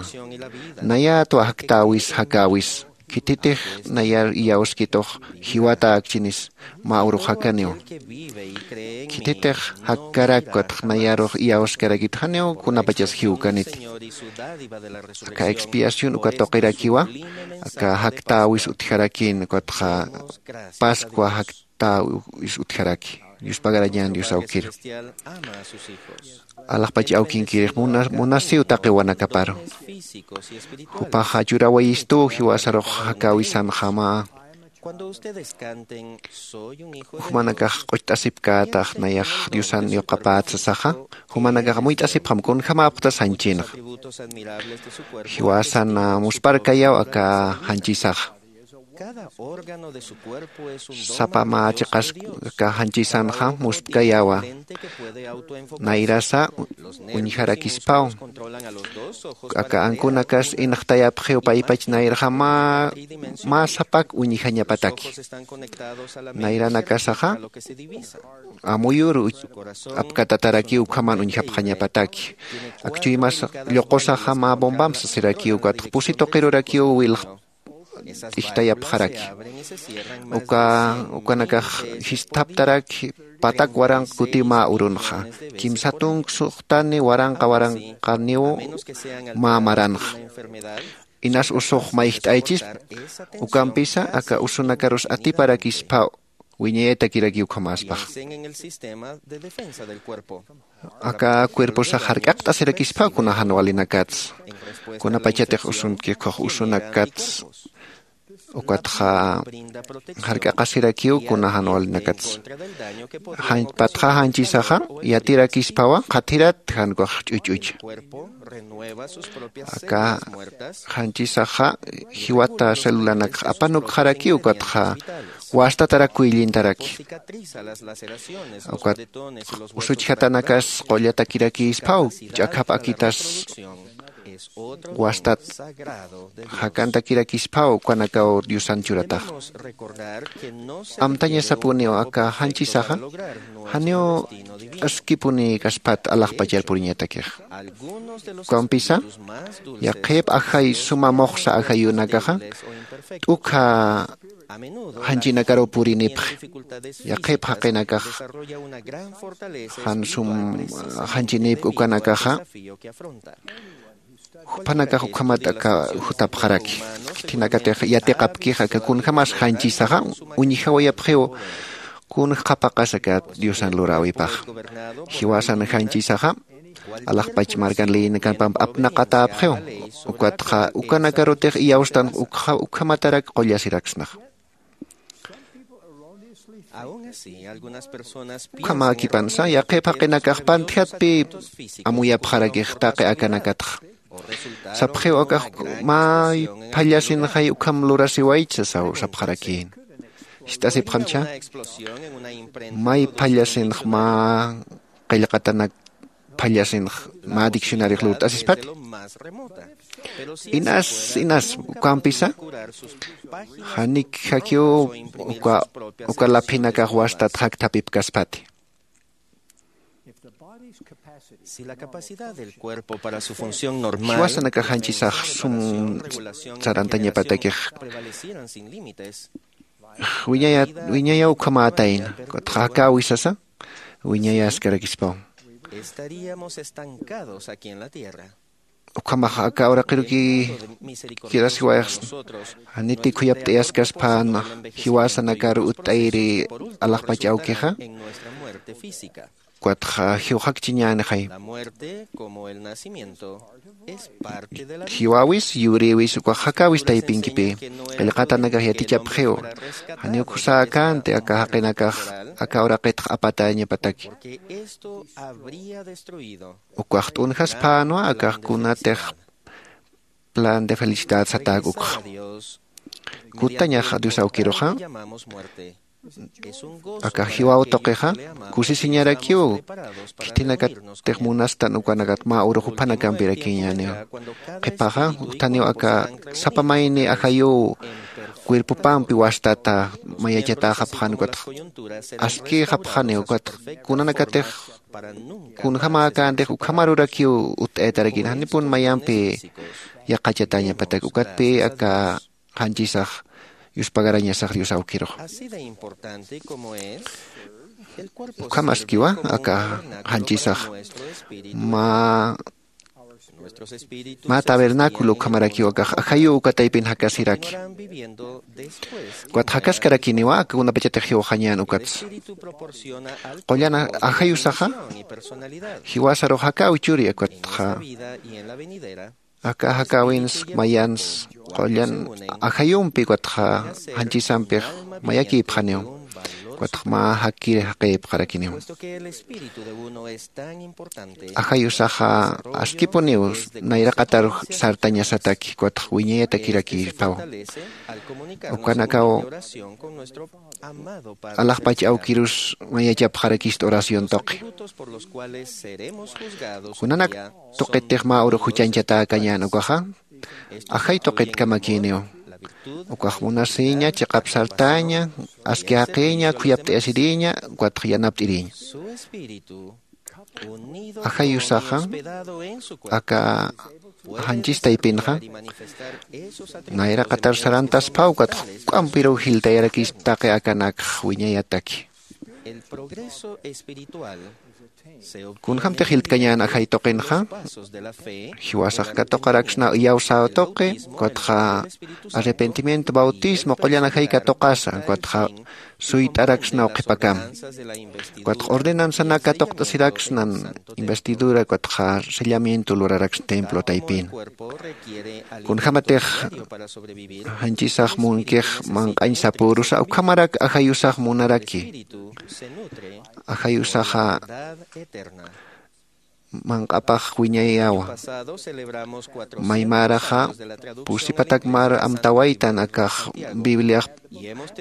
Nayätwa jaktäwis jakäwis. Khititix nayar iyawskitux jiwatäkchinis mä urux jakaniwa. Khititix jakkarak ukatx nayarux iyawskarakit janiw kunapachas jiwkaniti. Aka expiación uka tuqirakiwa, aka jaktäwis utjarakïn, ukatxa Pascua jaktäwis utjaraki. Yuspagarañän Dios awkiru. Alaxpach awkinkirix muna-, munasiw taqi wanakaparu. Jupaxa churawayistuw jiwasarux jakäwisanxama. Jumanakax q'ucht'asipkätax nayax Diosan yuqapät sasaxa, jumanakax amuyt'asipxam kunjamäpxtas janchinxa. Jiwasan musparkayaw aka janchisaxa. Sapa mä chiqas aka janchisanxa muspkayawa. Nayrasa uñjarakispaw. Aka ankunakas inxtayapxiw paypach nayrxa mä, mä sapak uñjañapataki. Nayranakasaxa amuyur uch-, apkatatarakiw ukhaman uñjapxañapataki. Akchuymas lluqusaxa mä bombam sasirakiw, ukatx pusi tuqirurakiw wilx t'ijtayapxaraki. Uka, ukanakax jisthaptaraki patak waranqa kutiw mä urunxa. Kimsa tunka suxtani waranqa waranqaniw mä maranxa. Inas usux mayjt'aychis, ukampisa aka usunakarus atiparakisphaw. Wiñayatakiraki ukhamäspax. Aka cuerposax jark'aqt'asirakispaw kuna jan walinakats. Kunapachatix usunkix usunakats. Ukatxa jark'aqasirakiw kuna jan walinakats. Jan-, patxa janchisaxa yatirakispawa qhathirat jan ukax ch'uch'ucha. Aka janchisaxa jiwata celulanakx apanukxarakiw, ukatxa wastatarak kuyllintaraki. Ukat usuchjatanakas qullatakirakïspaw, ch'akhap akitas wastat jakantakirakïspaw, ukanakaw Diosan churatax. Amtañasapuniw aka janchisaxa, janiw askipuni kaspat alaxpachar puriñatakix. Ukampisa, yaqhip ajay suma muxsa ajayunakaxa, t'ukha janchinakaruw purinipxi. Yaqhip jaqinakax jan sum janchinïpki ukanakaxa, juphanakax ukhamat aka jutapxaraki. Khitinakatix yatiqapkix aka kunjamas janchisaxa uñjawayapxiw, kunja qhapaqas aka Diosan luräwipax. Jiwasan janchisaxa alaxpach markan leyinakamp apnaqatäpxiw. Ukatxa ukanakarutix iyawstan ukha-, ukhamatarak qullasiraksnax. Ukhamäkipansa, yaqhip jaqinakax pantjatpï amuyapxarakix taqi akanakatxa. Sapxiw akax, may phallasinxay ukham lurasiwaychi sasaw sapxarakïn. Jist'asipxamcha, may phallasinx mä qillqatanak phallasinx mä diccionariox lurt'asispat. Inas, inas, ukampisa, janik jakiw uka, uka laphinakax wastat jakthapipkaspati. Si la capacidad del cuerpo para su función normal, jiwasanakax janchisax sum sarantañapatakix prevalecieran sin límites, wiñaya-, wiñayaw ukhamätayna, ukatxa jakäwisasa, wiñayaskarakispaw. Estaríamos estancados aquí en la tierra. Ukhamax aka uraqiruki kirasiwayaxsna. Janiti khuyapt'ayaskas phan jiwasanakar utt'ayri alaxpach awkixa. Ukatxa jiwxakchiñänixay. Jiwäwis yurïwis ukax jakäwis taypinkipï. Qillqatanakax yatichapxiw. Janiw khusäkänti aka jaqinakax aka uraqitx apatäñapataki. Ukax t'unjasphänwa akax kunatix plan de felicidad satäk ukxa. Kutañax dios awkiruxa. Akax jiwaw tuqixa kusisiñarakiw. Khithinakatix munastan ukanakat mä urux juphanakampirakiñäniw. Qhipaxa juthaniw aka sapa mayni ajayuw cuerpopampi wastata mayachatäxapxan ukatx askïxapxaniw ukatx kunanakatix kunjämäkäntix ukhamarurakiw utt'ayatarakïn janipun mayampi yaqhachatäñapatak ukatpï aka janchisax yuspagarañasax dios awkirux. Ukhamaskiwa aka janchisax mä mä tabernáculo ukhamarakiw akax ajayuw uka taypin jakasiraki. Ukatxa jakaskarakiniwa aka kunapachatix jiwxañän ukatsa. Qullan ajayusaxa jiwasarux jakäw churi ukatxa aka jakäwins mayans qullan ajayumpi ukatxa janchisampix mayakïpxaniw. Ukatxa mä jakir jaqïpxarakiniw. Ajayusaxa askipuniw nayraqatar sartañasataki ukatxa wiñayatakirakïpaw. Ukanakaw alaxpach awkirus mayachapxarakista oración tuqi. Kunanak tuqitix mä urux juchañchatäkañän ukaxa ajay tuqitkamakïniw. Ukax munasïña chiqap sartäña aski jaqiña khuyapt'ayasirïña ukatxa yanapt'irïña. Ajayusaxa aka janchis taypinxa nayraqatar sarantasphaw ukatxa juk'ampiruw jiltayarakispa taqi akanakx wiñayataki. Kunjämtix jiltkañän ajay tuqinxa jiwasax katuqaraksnaw iyawsäw tuqi ukatxa arrepentimiento bautismo qullan ajay katuqasa ukatxa suyt'araksnaw qhipakam ukatxa ordenansanak katuqt'asiraksnan investidura ukatxa sellamiento luraraksna templo taypin. Kunjämatix janchisax munkix manq'añ sapürusa ukhamarak ajayusax munaraki. Ajayusaxa manq'apax wiñayawa. Maymäraxa pusi patak mar amtawaytan akax bibliax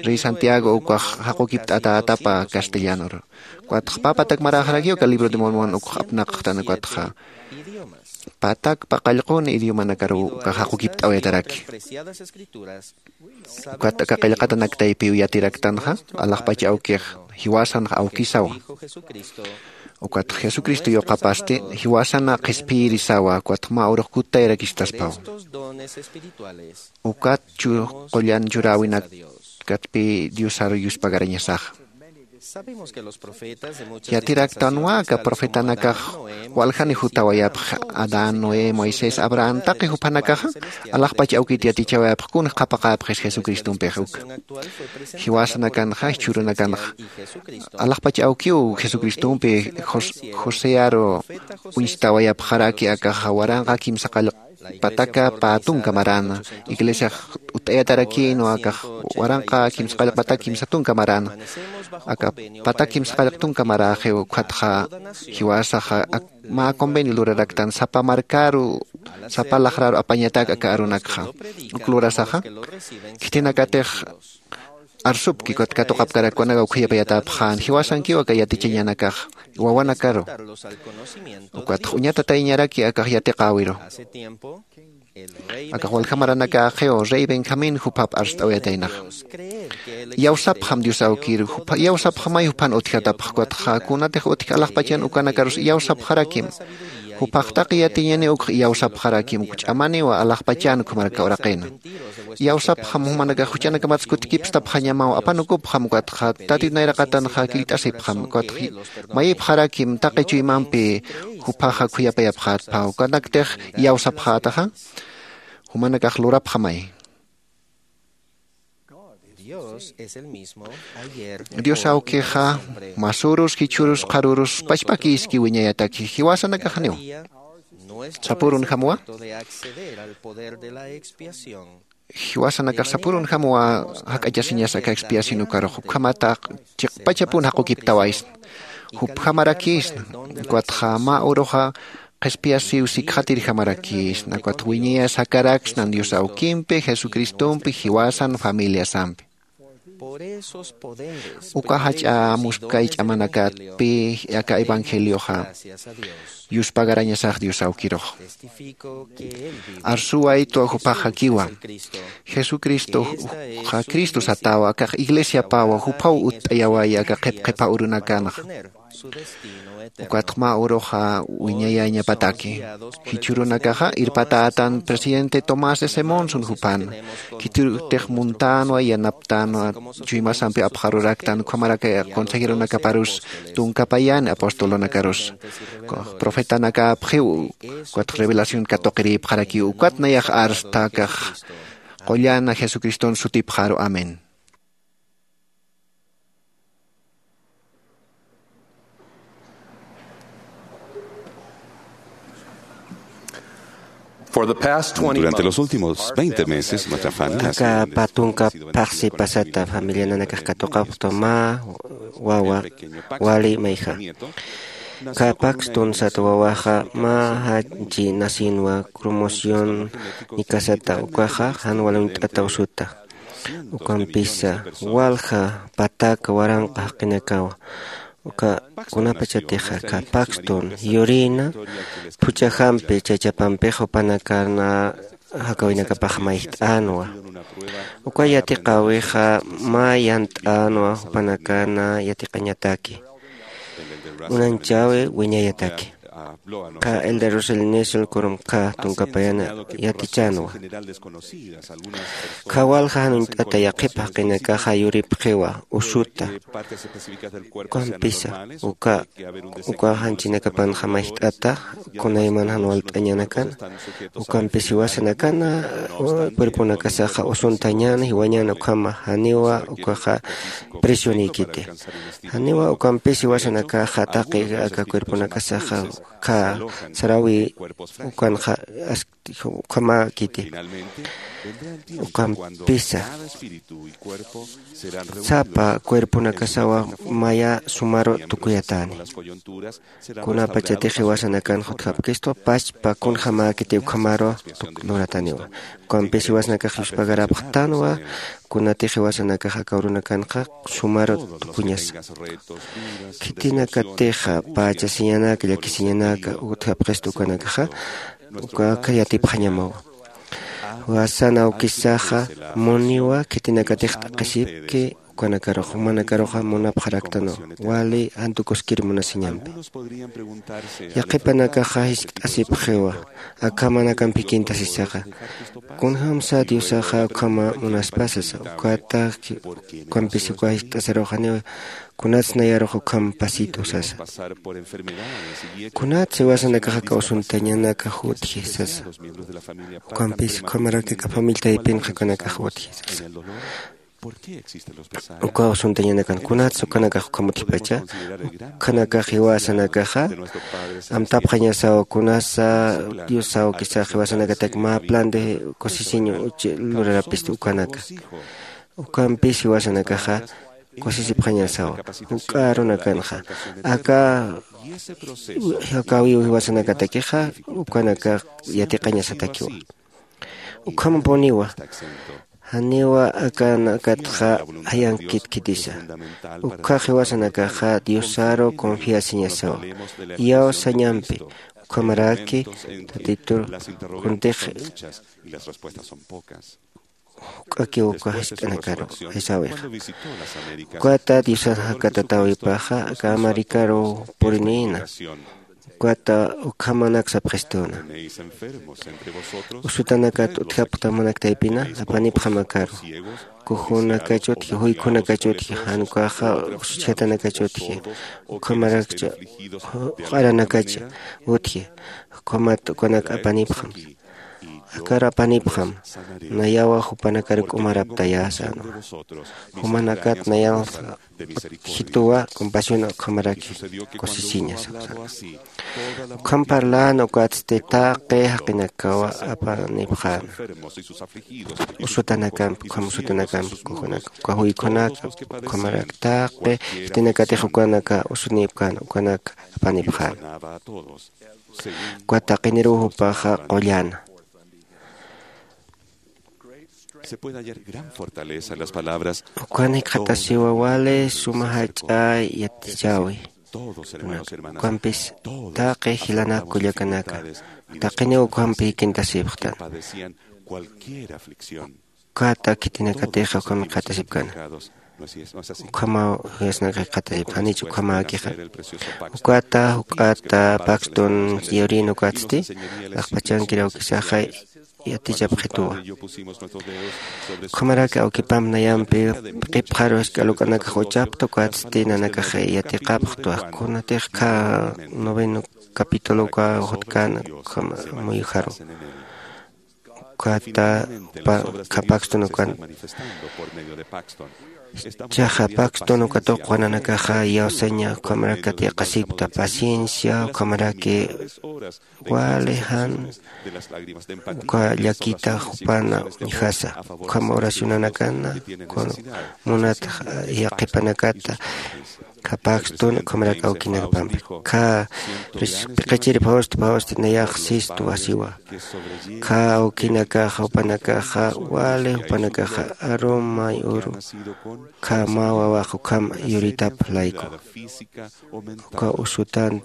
rey santiago ukax jaqukipt'atätapa castellanor. Ukatxa pä patak maräxarakiw aka libro de mormon ukx apnaqxtan ukatxa patak paqallqun idiomanakaruw ukax jaqukipt'awayataraki. Ukat aka qillqatanak taypiw yatiraktanxa alaxpach awkix jiwasanx awkisawa. Ukat jesucristo yuqapasti jiwasana qhispiyirisawa ukatx mä urux kuttayarakistasphawa. Ukat chu qullan churäwinakatpï diosar yuspagarañasaxa. Yatiraktanwa aka profetanakax waljani jutawayapxi adán noé moisés abraham taqi juphanakaxa alaxpach awkit yatichawayapxi kunx qhapaqäpxis jesucristumpix uka. Jiwasanakanxa jichhürunakanxa alaxpach awkiw jesucristumpi josearu uñstawayapxaraki akaxa waranqa kimsa qallq pataka pä tunka maräna iglesiax utt'ayatarakïnwa akax waranqa kimsa qallq pataka kimsa tunka maräna. Aka pataka kimsa qallq tunka maräxiw ukhatxa jiwasaxa mä convenio luraraktan sapa markaru sapa laxraru apañatak aka arunakxa. Uk lurasaxa khitinakatix arsupki ukat katuqapkarak kunaka ukhayapayatapxän jiwasankiw aka yatichañanakax wawanakaru. Ukatx uñatatayñaraki akax yatiqäwiru. Akax walja maranakäxiw rey benjamín juphap arst'awayataynaxa. Iyawsapxam dios awkiru iyawsapxamay juphan utjatapxa ukatxa kunatix utji alaxpachan ukanakarus iyawsapxarakim. Juphax taqi yatiñaniw ukx iyawsapxarakim uk ch'amaniwa alaxpachan ukhamaraka uraqina. Iyawsapxam jumanakax juchanakamatsa kutkipstapxañamaw apanukupxam ukatxa tatit nayraqatanxa killt'asipxam ukatxa mayipxarakim taqi chuymampi juphaxa khuyapayapxätpha, ukanaktix iyawsapxätaxa, jumanakax lurapxamay. Dios awkixa masürus, jichhürus, qharürus pachpakïski wiñayataki, jiwasanakaxniw. Sapürunjamwa. Jiwasanakax sapürunjamwa jak'achasiñas aka expiación ukarux, ukhamataq chiqpachapun jaqukiptawaysna. Jupjamarakïsna, ukatxa mä uruxa qhispiyasiw sikxatirjamarakïsna, ukat wiñayas jakaraksnan Dios awkimpi, Jesucristompi, jiwasan familiasampi. Uka jach'a muskay ch'amanakatpi aka evangelioxa yuspagarañasax Dios awkirux. Arsuwaytwa jupaxakiwa. Jesucristoxa Cristo satawa, akax iglesiapawa, juphaw utt'ayawaya aka qhipqhipha urunakanxa. Ukatx mä uruxa wiñayañapataki. Jichhürunakaxa irpatätan presidente Tomás S. Monson jupan. Khitirutix muntänwa, yanaptänwa, chuymasampi apxaruraktan, ukhamaraki consejeronakaparus tunkapayani, apostolonakarus, profetanakäpxiw, ukatx revelación katuqirïpxarakiw, ukat nayax arsta akax qullan Jesucriston sutipxaru. Amén. Durante los últimos veinte meses, nuestra familia ha sido bendecida. Aka pä tunka phaxsi pasata familia nanakax katuqapxta mä wawa wali mayja. Aka Paxton sat wawaxa mä janchi nacinwa, cromosoma nikasata, ukaxa jan wal uñt'ataw suta. Ukampisa walja pataka waranqa jaqinakawa. Uka kunapachatixa aka Paxton yurïna phuch'ajampi chachapampixa jupanakana jakawinakapax mayjt'änwa. Uka yatiqäwixa mä yant'änwa jupanakana yatiqañataki. Uñanchäwi wiñayataki. Aka Elder Russell Nelson Quorum aka tunkapayana yatichänwa. Aka walja jan uñt'ata yaqhip jaqinakaxa yuripxiwa usuta. Ukampisa uka, uka janchinakapanxa mayjt'ata, kunayman jan walt'añanakana. Ukampis jiwasanakana cuerponakasaxa usuntañäna, jiwañäna, ukhama janiwa ukaxa presionïkiti. Janiwa ukampis jiwasanakaxa taqi aka cuerponakasaxa aka saräwi ukanxa as-, ukhamäkiti. Ukampisa sapa cuerponakasawa maya sumaru tukuyatäni. Kunapachatix jiwasanakanxa utjapkistu pachpa kunjamäkiti ukhamaru tuk-, lurataniwa. Ukampis jiwasanakax yuspagarapxtanwa, kunatix jiwasanakax aka urunakanxa sumaru tukuñasa. Khitinakatixa pachasiñanaka, llakisiñanaka utjapxistu ukanakaxa, uka yatipxañamawa. Jiwasan awkisaxa muniwa khitinakatix t'aqhisipki ukanakaruxa, jumanakaruxa munapxaraktanwa, wali jantukuskir munasiñampi. Yaqhipanakaxa jiskt'asipxiwa, akhamanakamp jikinta sisaxa. Kunjamsa Diosaxa ukhama munaspa sasa, ukata ukampis uka jiskt'asarux janiw, kunats nayarux ukham pasitu sasa. Kunats jiwasanakax aka usuntañanakax utji sasa. Ukampis ukhamaraki aka familia taypinxa ukanakax utji sasa. Uka usuntañanakan kunats ukanakax ukham utjipacha, ukanakax jiwasanakaxa amtapxañasaw kunasa Dios awkisax jiwasanakatak mä plan de kusisiñ uchi lurarapisti ukanaka. Ukampis jiwasanakaxa kusisipxañasawa. Juk'a arunakanxa aka, aka awiw jiwasanakatakixa ukanakax yatiqañasatakiwa. Ukhampuniwa janiwa akanakatxa jayankit khitisa. Ukhax jiwasanakaxa Diosaru confiasiñasawa. Iyawsañampi ukhamaraki Tatitur kuntix juk'akiw uka jiskt'anakaru jisawixa. Ukata Diosan jakatatäwipaxa aka Amerikaru purinïna. Ukat ukhamanak sapxistuna. Usutanakat utjapxta munaktaypina apanipxam akaru. Kujunakachutji, juykunakachutji, jan ukaxa usuchjatanakachutji, ukhamarakcha juq'aranakach utji, ukhamat ukanak apanipxam. Akar apanipxam, nayawa jupanakar k'umaraptayä sänwa. Jumanakat nayanxa jituwa compasión ukhamaraki kusisiña sasa. Ukham parlän ukatsti taqi jaqinakawa apanipxäna. Usutanakampi, ukham usutanakampi, kujunak uka juykunaka ukhamaraki taqi khitinakatix ukanaka usunipkän ukanak apanipxäna. Uka taqiniruw jupaxa qulläna. Se puede hallar gran fortaleza en las palabras. Ukan jikxatasiwa wali suma jach'a yatichäwi. Todos, hermanos, hermanas. Ukampis taqi jilanak kullakanaka taqiniw ukampi kintasipxtan. Padecían cualquier aflicción. Ukat khitinakatixa ukham jikxatasipkana. Ukhamaw juyasnaka jikxatasipxanichu ukhamakixa. Ukata juk'ata pakstun yurïn ukatsti, laxpachankir awkisaxa yatichapxituwa. Ukhamaraki awkipamp nayampi qipxaru jisk'a luk'anakax uchapxta ukatsti nanakax yatiqapxtwa. Kunatix kha noveno capítulo uka jutkäna ukham muyuxaru. Ukata pa-, kha Paxton ukan. Chaxa Paxton uka tuqwa nanakaxa iyawsaña ukhamaraki yatiqasipkta, paciencia ukhamaraki wali jan uka llakita jupana uñjasa, ukham oracionanakana, kun munat yaqhipanakata, kha Paxton ukhamaraki awkinakapampi. Kha pis-, piqichiri phawsti phawsti nayax sistu wasiwa. Kha awkinakaxa, jupanakaxa, wali jupanakaxa, arum may uru, kha mä wawax ukham yuritap layku. Uka usutan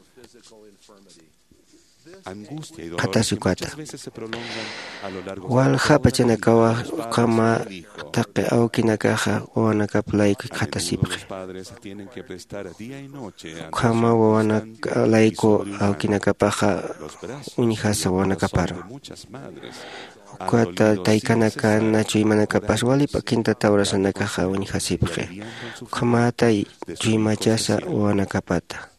qhatasi ukata. Walja pachanakawa ukhama taqi awkinakaxa wawanakap layku jikxatasipxi. Ukhama wawanak layku awkinakapaxa uñjasa wawanakaparu. Ukata taykanakana chuymanakapas wali p'akinta tawrasanakaxa uñjasipxi. Ukhamata chuymachasa wawanakapata.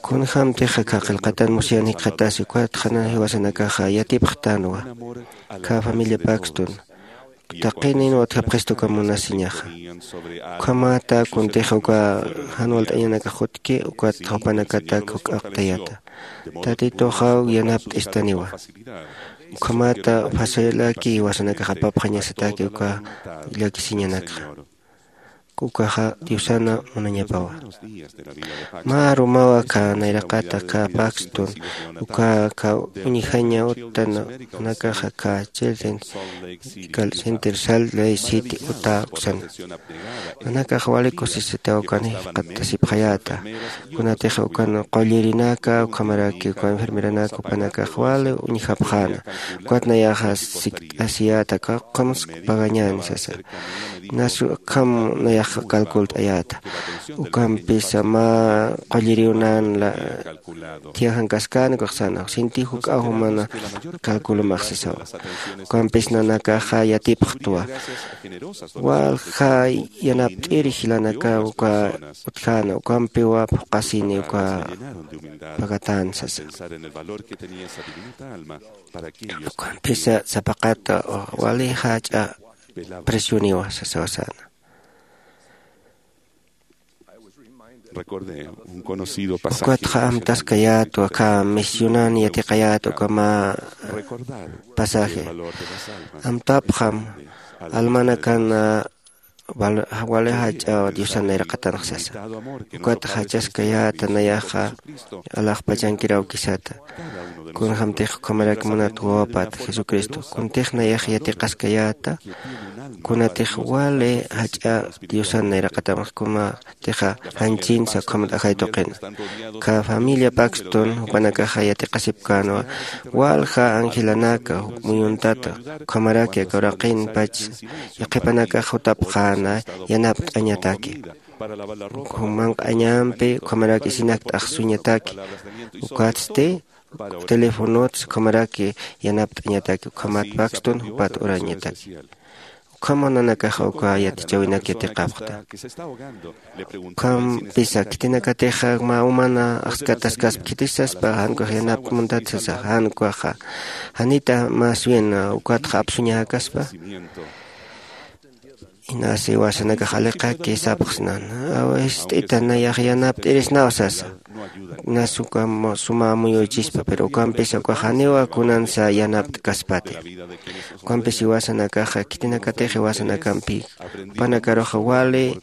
Kunjämtixa kha qillqatan Mosiah jikxatasi, ukat qhanan jiwasanakaxa yatipxtänwa. Kha familia Paxton taqinin utjapxistu uka munasiñaxa. Ukhamata kuntixa uka jan walt'añanakax jutki, ukat jupanakatak juk'aqtayata. Tatituxaw yanapt'istaniwa. Ukhamata facilaki jiwasanakax apapxañasataki uka llakisiñanakxa. Ukaxa Diosana munañapawa. Mä arumawa kha nayraqata kha Paxton, uka kha uñjaña utanakaxa kha Children's Center Salt Lake City, Utah uksana. Nanakax wali kusisitaw ukan jikxatasipxayäta. Kunatix ukan qullirinaka, ukhamaraki uka enfermeranaka, jupanakax wali uñjapxäna. Ukat nayaxa sikt'asiyäta, ukhams pagañäni sasa. Nasu ukham nayax calcult'ayäta. Ukampisa mä qulliriw nan la, thiyajankaskän ukax sänwa. Sinti juk'aw jumana calculamax sasawa. Ukampis nanakaxa yatipxtwa. Walja yanapt'ir jilanakaw uka utjäna, ukampiwa phuqhasini uka pagatän sasa. Ukampisa sapaqata wali jach'a presioniwa sasawa säna. Recordé un conocido pasaje. Ukatxa amtaskayätwa, kha misionan yatiqayät uka mä pasaje. Amtapxam almanakan, ah, wal-, wali jach'a Diosan nayraqatanx sasa. Ukat jachaskayäta nayaxa alaxpachankir awkisata. Kunjämtix ukhamarak munat wawapat Jesucristo. Kuntix nayax yatiqaskayäta, kunatix wali jach'a Diosan nayraqatanx, kunatixa janchinsa ukhamat ajay tuqina. Kha familia Paxton jupanakaxa yatiqasipkänwa, walja angelanaka muyuntata, ukhamaraki aka uraqinpach yaqhipanakax jutapxä yanapt'añataki. Ukham manq'añampi ukhamarak isinak t'aqsuñataki. Ukatsti telefonots ukhamaraki yanapt'añataki, ukhamat pakstun jupat urañataki. Ukham nanakaxa uka yatichäwinak yatiqapxta. Ukhampisa khitinakatixa mä umana axskataskaspa khitisaspa, jan ukax yanapt'amuntat sasa, jan ukaxa janita más bien ukatxa apsuñäkaspa. Inasi jiwasanakax aliqaki sapxsnan, awist'ita nayax yanapt'irisnaw sasa. Nas uka suma amuyuychispa, pero ukampisa ukax janiwa kunansa yanapt'kaspati. Ukampisa jiwasanakaxa khitinakatix jiwasanakampi jupanakaruxa wali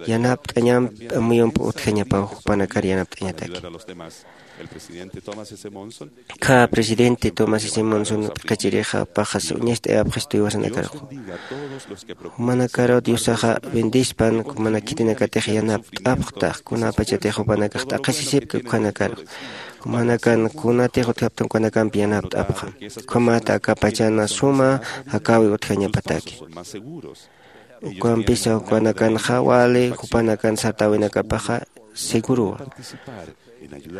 yanapt'añamp amuyump utjañapaw jupanakar yanapt'añataki. Kha presidente Thomas S. Monson p'iqichirixa paxas uñast'ayapxistu jiwasanakaruxa. Jumanakaru Diosaxa bendispan, jumana khitinakatix yanapt'apxta, kunapachatix jupanakax t'aqhisisipki ukhanakaru. Jumanakan kunatix utjaptan ukanakampi yanapt'apxa. Ukhamat aka pachana suma jakäwi utjañapataki. Ukampisa ukanakanxa wali jupanakan sartäwinakapaxa seguruwa.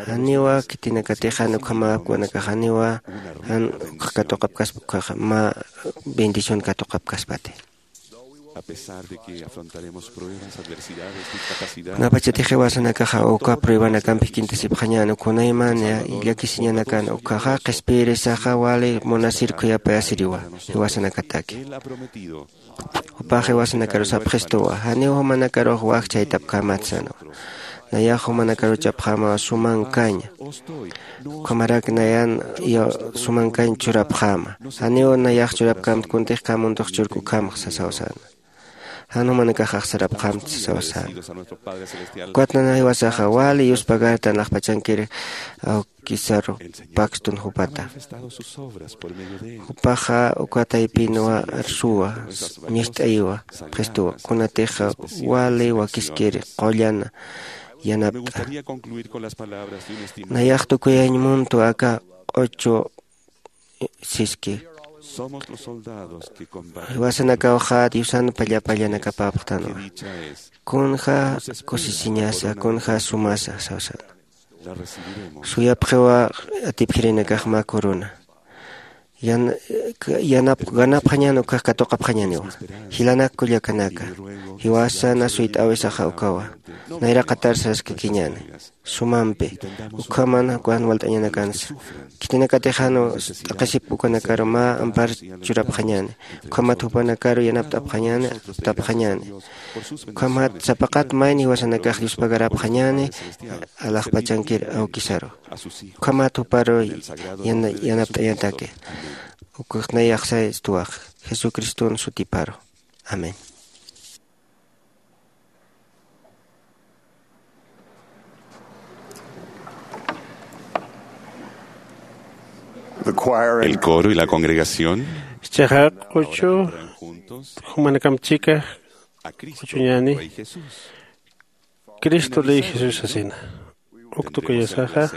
Janiwa khitinakatix jan ukhamäp ukanakax janiwa jan ukx katuqapkaspa, ukhaxa mä bendición katuqapkaspati. Kunapachatix jiwasanakaxa uka pruebanakampi kintisipxañäni, ukhamaymani llakisiñanakan, ukhaxa qhispiyirisaxa wali munasir khuyapayasiriwa jiwasanakataki. Jupax jiwasanakaru sapxistuwa, janiw jumanakarux wakchhaytapkämat sänwa. Nayax jumanakaru chapxäma sumankaña. Ukhamarak nayan sumankañ churapxäma. Janiw nayax churapkämt kuntix kä mundux churk ukhamax sasaw säna. Jan jumanakax axsarapxämt sasaw säna. Ukat nana jiwasaxa wali yuspagartan alaxpachankir awkisaru pakstun jupata. Jupaxa uka taypinwa arsuwa, ñist'ayiwa, pxistuwa, kunatixa wali wakiskir qullan yanapt'a. Nayax tukuyañ muntu aka q'uchu siski. Jiwasanakawxa Diosan pallapallanakapäpxtanwa. Kunja kusisiñasa, kunja sumasa sawsana. Suyapxiwa atipjirinakax mä corona. Yan-, yanap-, ganapxañän ukkhax katuqapxañäniwa. Jilanak kullakanaka, jiwasana suyt'äwisaxa ukawa. Nayraqatar saraskakiñäni. Sumampi, ukhaman jan walt'añänakansa. Khitinakatix jan t'aqhisip ukanakaru mä ampar churapxañäni. Ukhamat jupanakaru yanapt'apxañäni, aptapxañäni. Ukhamat sapaqat mayni jiwasanakax Dios pagarapxañäni, alaxpachankir awkisaru. Ukhamat juparu yana-, yanapt'añataki. Ukux nayax sayastuwax, Jesucriston sutiparu. Amén. The choir and El coro y la congregación. Chiqa q'uchu jumanakamp chika q'uchuñäni, Cristo ley Jesús sasina. Uk tukuyasaxa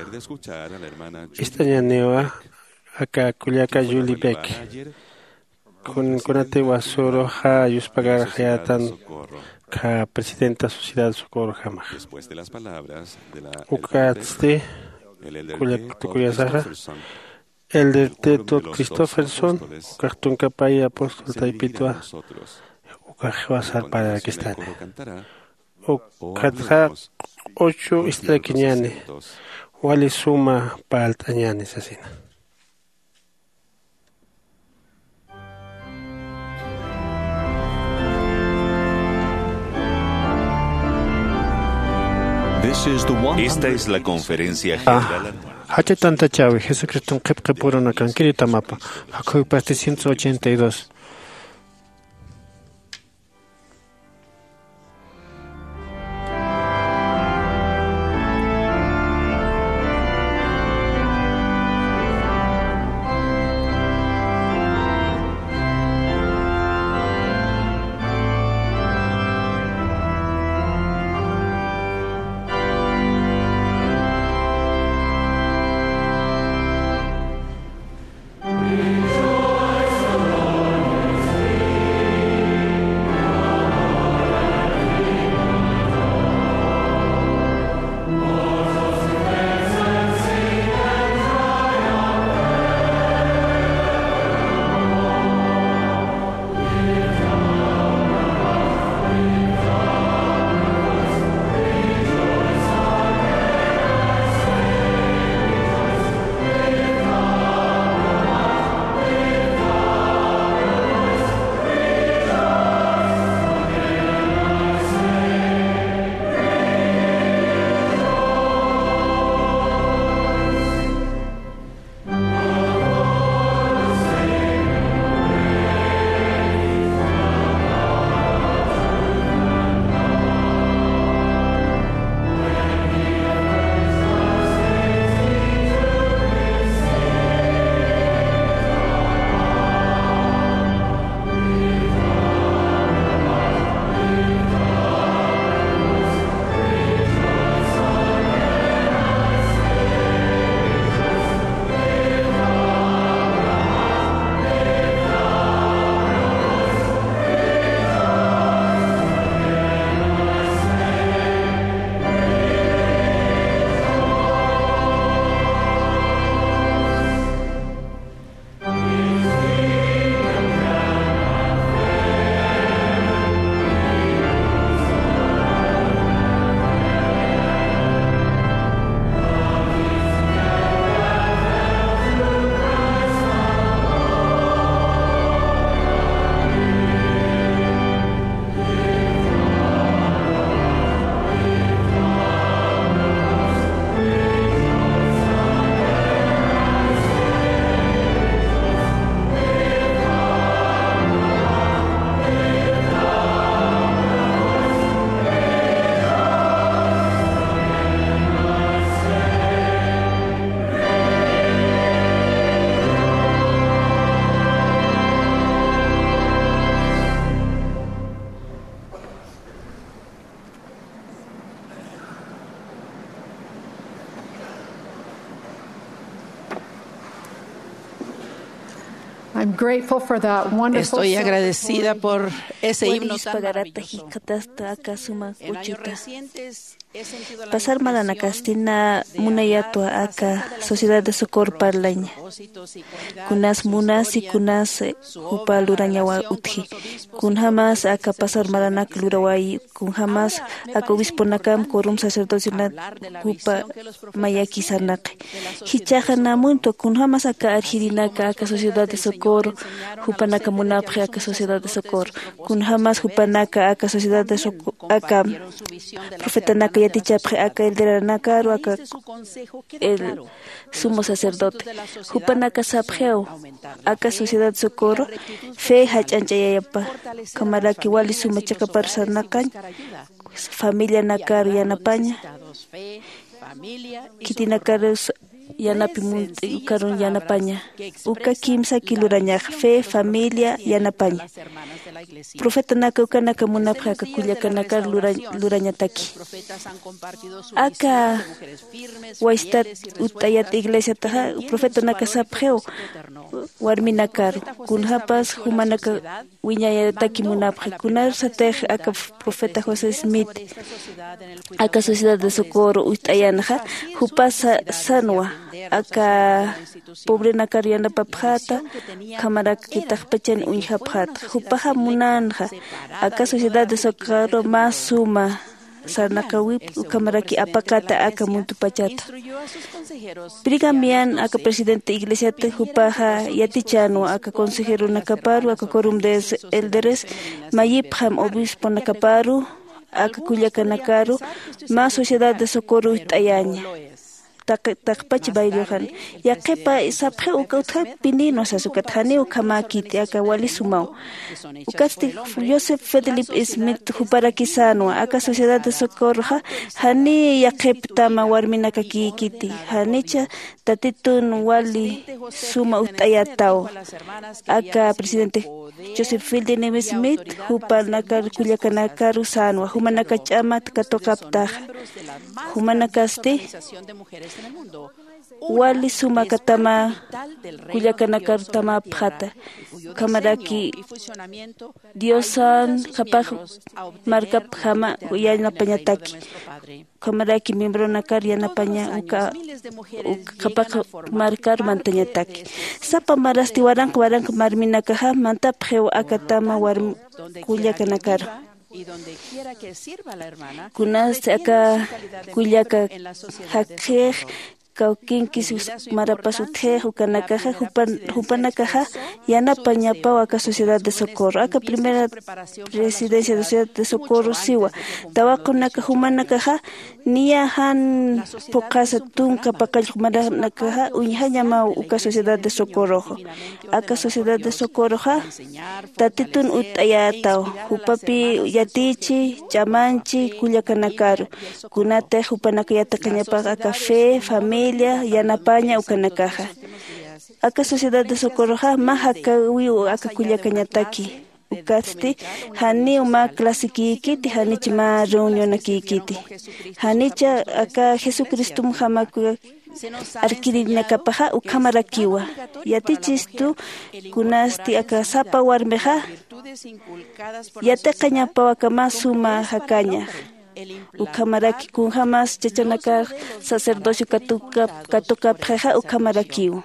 ist'añäniwa aka kullaka Julie Beck. Kun-, kunati wasüruxa yuspagarxayätan, kha presidenta Sociedad Socorrojamax. Ukatsti kullak tukuyasaxa, Elder Teto Christopherson, ukax tunkapay apóstol taypitwa, ukax jiwasar parlt'arakistani. Ukatxa q'uchu ist'arakiñäni, wali suma parlt'añäni sasina. Esta es la conferencia general. Jacha tantachäwi Jesucriston qhipqipurunakankiri tamapa, jakhuypasti ciento ochenta y dos. I'm grateful for that wonderful Estoy agradecida celebration. Por ese himno tan Walispagarata maravilloso. Jikatasta aka suma En años uchita. Recientes he sentido la Pasar necesidad maranakasti na munayatwa aka Sociedad de Socorro parlaña. Kunas munasi kunas, eh, jupa lurañawa utji. Kunjamas aka pasar maranak luraway, kunjamas aka obisponakam, quorum sacerdocional jupa mayaki sarnaqi. Jichhaxa namuntwa kunjamas aka arjirinaka aka Sociedad de Socorro, jupanaka munapxi aka Sociedad de Socorro. Kunjamas jupanaka aka Sociedad de Socorro, aka profetanaka yatichapxi aka elderanakaru, aka el sumo sacerdote. Jupanaka sapxiw, aka Sociedad de Socorro fe jach'añch'ayayapa. Ukhamaraki wali suma chiqapar sarnaqañ, familianakar yanapaña, khitinakarus yanapi munt'i ukarun yanapaña. Uka kimsaki lurañax, fe, familia, yanapaña. Profetanaka ukanaka munapxi aka kullakanakar lura-, lurañataki. Aka waystat utt'ayat iglesiataxa profetanaka sapxiw warminakaru, kunjapas jumanaka wiñayataki munapxi. Kunasatix aka profeta José Smith aka Sociedad de Socorro utt'ayanxa, jupas sa-, sanwa aka pobrenakar yanapapxäta, ukhamaraki taqpachan uñjapxäta. Jupaxa munänxa aka Sociedad de Socorro mä suma sarnaqäwip, ukhamaraki apaqata aka muntupachata. Brigham Young aka presidente iglesiata, jupaxa yatichänwa aka consejeronakaparu, aka quorum de élderes, mayipxam obisponakaparu, aka kullakanakaru, mä Sociedad de Socorro utt'ayaña. Taq-, taqpach baylluxan. Yaqhipa sapxiw uka utjapinïnwa sas, ukat janiw ukhamäkiti, aka wali sumaw. Ukatsti Joseph Fielding Smith juparaki sänwa, aka Sociedad de Socorroxa janiy yaqhiptama warminakakïkiti, janicha Tatitun wali suma utt'ayätaw. Aka presidente Joseph Fielding Smith jupanakar kullakanakaru sänwa, jumanaka ch'amat katuqaptaxa. Jumanakasti wali sumakatama kullakanakar tamapxäta. Ukhamaraki Diosan qhapaq markapjama yanapañataki. Ukhamaraki miembronakar yanapaña uka, uka qhapaq markar mantañataki. Sapa marasti waranqa waranqa marminakaxa mantapxiw akatama warm-, kullakanakar. Kunasti aka kullaka jakxix, kawkinkis marapas utjix, ukanakaxa jupan-, jupanakaxa yanapañapaw aka Sociedad de Socorro. Aka primera presidencia de Sociedad de Socorro siwa, tawaqunaka jumanakaxa niya jan phuqhasa tunka paqallq maranakaxa uñjañamaw uka Sociedad de Socorroxa. Aka Sociedad de Socorroxa Tatitun utt'ayätaw, jupapi yatichi, ch'amanchi kullakanakaru. Kunatix jupanaka yatiqañapax aka fe, familia, yanapaña ukanakaxa. Aka Sociedad de Socorroxa mä jakäwiw aka kullakañataki. Ukatsti janiw mä clasekïkiti, janich mä reunionakïkiti. Janicha aka Jesucristomjamakuya arkirinakapaxa ukhamarakiwa. Yatichistu kunasti aka sapa warmixa yatiqañapaw aka mä suma jakañax. Ukhamaraki kunjamas chachanakax sacerdocio katuka-, katuqapxixa ukhamarakiw.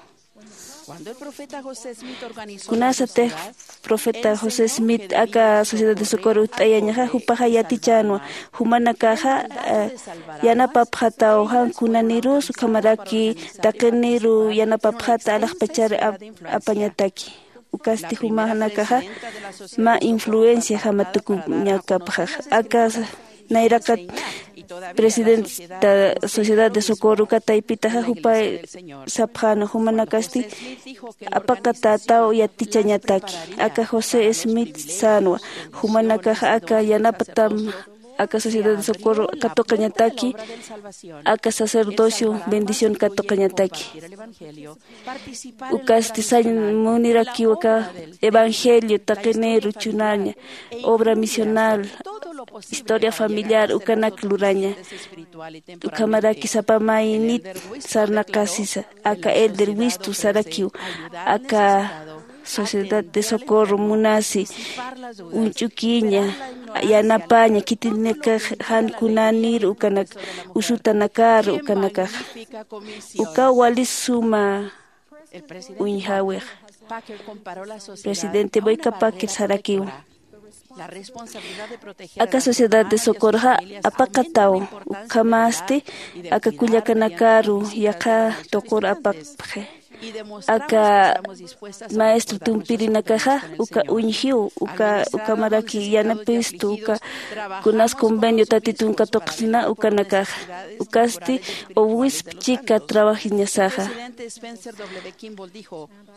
Kunasatix profeta José Smith aka Sociedad de Socorro utt'ayañaxa, jupaxa yatichänwa, jumanakaxa, eh, yanapapxataw jan kunanirus, ukhamaraki taqiniru yanapapxata alaxpachar ap-, apañataki. Ukasti jumanakaxa mä influenciajama tukuñakapxax. Aka nayraqat presidenta Sociedad de Socorro uka taypitaxa jupa sapxäna, jumanakasti apaqatätaw yatichañataki. Aka José Smith sänwa, jumanakaxa aka yanapatam aka Sociedad de Socorro katuqañataki, aka sacerdocio bendición katuqañataki. Ukasti sañ munirakiw aka evangelio, taqiniru chunaña, obra misional, historia familiar, ukanak luraña. Ukhamaraki sapa maynit sarnaqasisa, aka elder wistu sarakiw, aka Sociedad de Socorro munasi uñch'ukiña, yanapaña khitinakax jan kunanir ukanak, usutanakar ukanakax. Uka wali suma uñjäwix. Presidente Boyka Packer sarakiw, aka Sociedad de Socorroxa apaqataw, ukhamasti aka kullakanakaru yaqha tuqur apaqpxi. Aka maestro tumpirinakaxa uka uñjiw, uka ukhamaraki yanapistu, uka kunas convenio Tatitun katuqsina ukanakaxa. Ukasti owisp chika trabajiñasaxa.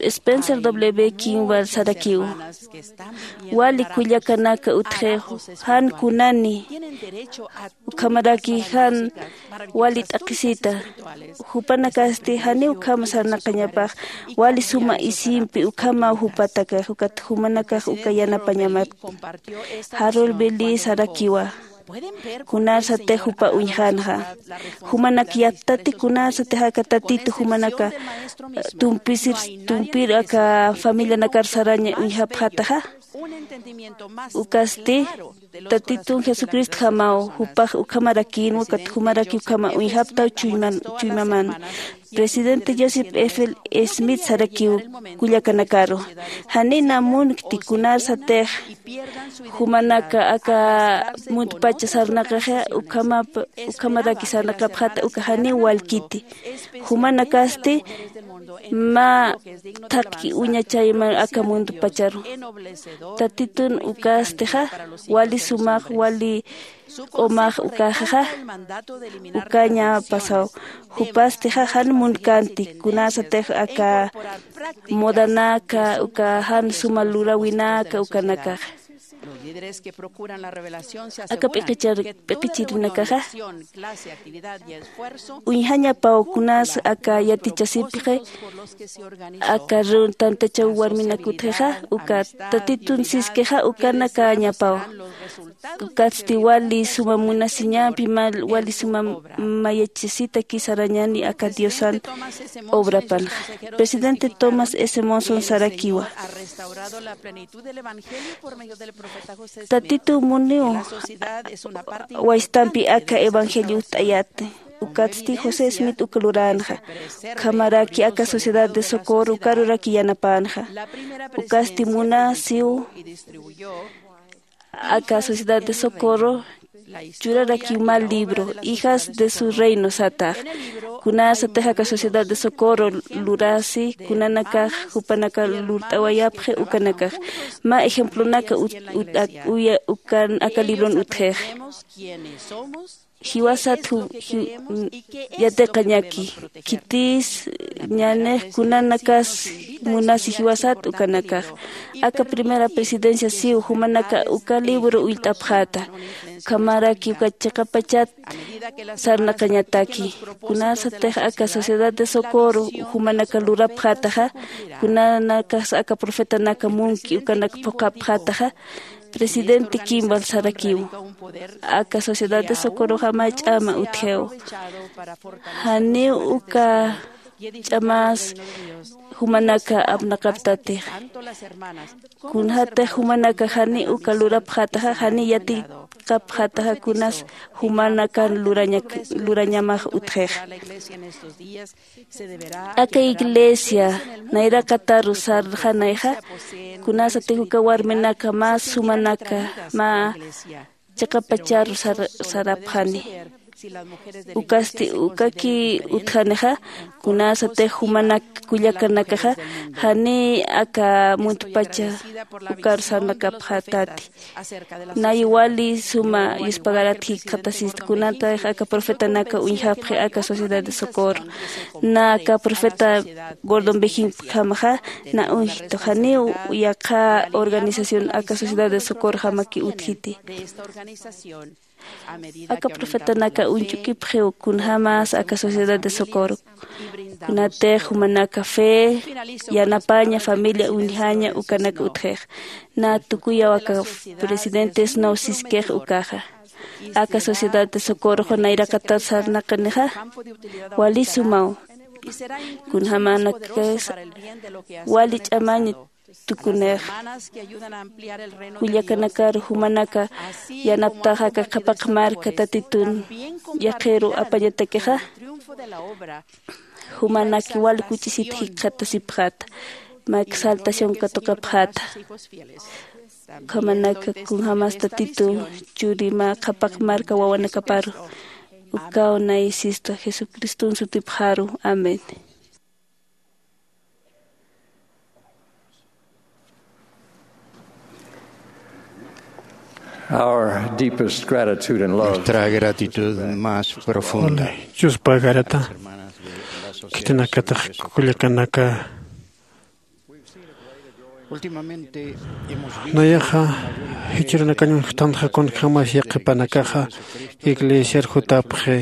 Spencer W Kimball sarakiw, wali kullakanaka utjix, jan kunani ukhamaraki jan wali t'aqhisita. Jupanakasti janiw ukhama sarnaqañapax, wali suma isimpi ukhamaw jupatakax, ukat jumanakax uka yanapañamat. Harold Belli sarakiwa, kunarsatix jupa uñjanxa. Jumanak yattati kunarsatix aka Tatitu jumanaka, eh, tumpisir, tumpir aka familianakar saraña uñjapxataxa. Ukasti Tatitun Jesucristjamaw jupax ukhamarakïnwa, ukat jumaraki ukhama uñjaptaw chuyman, chuymaman. Presidente Joseph F L Smith sarakiw kullakanakaru, janina munkti kunarsatix jumanaka aka muntpacha sarnaqaxa, ukhamap-, ukhamaraki sarnaqapxata, uka janiw walkiti. Jumanakasti mä thaqki uña chayman aka muntpacharu. Tatitun ukastixa wali sumax, wali q'umax ukaxaxa ukaña pasaw. Jupastixa jan munkänti kunarsatix aka modanaka, uka jan suma luräwinaka ukanakaxa. Aka p'iqichar-, p'iqichirinakaxa uñjañapaw kunas aka yatichasipxi, aka reun-, tantachaw warminak utjixa, uka Tatitun siskixa ukanakañapaw. Ukatsti wali suma munasiñampi, mal-, wali suma mayachasitaki sarañani aka Diosan obrapanxa. Presidente Thomas S Monson sarakiwa, Tatitu muniw waystampi aka evangelio utt'ayäti. Ukatsti José Smith uka luränxa. Ukhamaraki aka Sociedad de Socorro ukaruraki yanapänxa. Ukasti munasiw aka Sociedad de Socorro churarakiw mä libro, Hijas de su Reino satax. Kunarsatix aka Sociedad de Socorro lurasi, kunanakax jupanaka lurt'awayapxi ukanakax. Mä ejemplonaka ut-, ut-, ak-, uya-, ukan aka libron utjix. Jiwasat ju-, ju-, yatiqañaki, khitis ñanix kunanakas munasi jiwasat ukanakax. Aka primera presidencia siw jumanaka uka libro ullt'apxäta. Ukhamaraki uka chiqapachat sarnaqañataki. Kunarsatix aka Sociedad de Socorro jumanaka lurapxätaxa, kunanakas aka profetanaka munki ukanak phuqhapxätaxa, Presidente Kimball sarakiw, aka Sociedad de Socorroxa mä ch'ama utjiw. Janiw uka ch'amas jumanaka apnaqaptatix. Kunjatix jumanaka janiw uka lurapxätaxa, janiw yatiqapxätaxa kunas jumanakan lurañak-, lurañamax utjix. Aka iglesia nayraqataru sarxanayxa, kunarsatix uka warminaka mä sumanaka, mä chiqapacharu sar-, sarapxani. Ukasti ukaki utjanixa, kunarsatix jumanak kullakanakaxa, janiy aka muntpacha ukar sarnaqapxätati. Nay wali suma yuspagarat jikxatasista, kunatix aka profetanaka uñjapxi aka Sociedad de Socorro. Na aka profeta Gordon B Hinckley jamaxa na uñjtu, janiw yaqha organización aka Sociedad de Socorro jamaki utjiti. Aka profetanaka uñch'ukipxiw kunjamas aka Sociedad de Socorro. Kunatix jumanaka fe, yanapaña, familia uñjaña ukanaka utjix. Na tukuyaw aka presidentes no siskix ukaxa. Aka Sociedad de Socorro nayraqatat sarnaqanixa, wali sumaw. Kunjamanakas wali ch'amañ tukunix. Kullakanakar jumanaka yanaptaxa aka qhapaq marka tatitun yaqiru apañatakixa, jumanaki wal kuch'isit jikxatasipxata, mä exaltación katuqapxata. Ukhamanaka kunjämas tatitu churi mä qhapaq marka wawanakaparu ukaw naysista jesucriston sutipxaru. Amén. Our deepest gratitude and love. Nuestra gratitud más profunda. Chuspa garata khitinakatix kullakanaka. Nayaxa jichhürunakañ uñjtanxa kunjämas yaqhipanakaxa iglesiar jutapxi.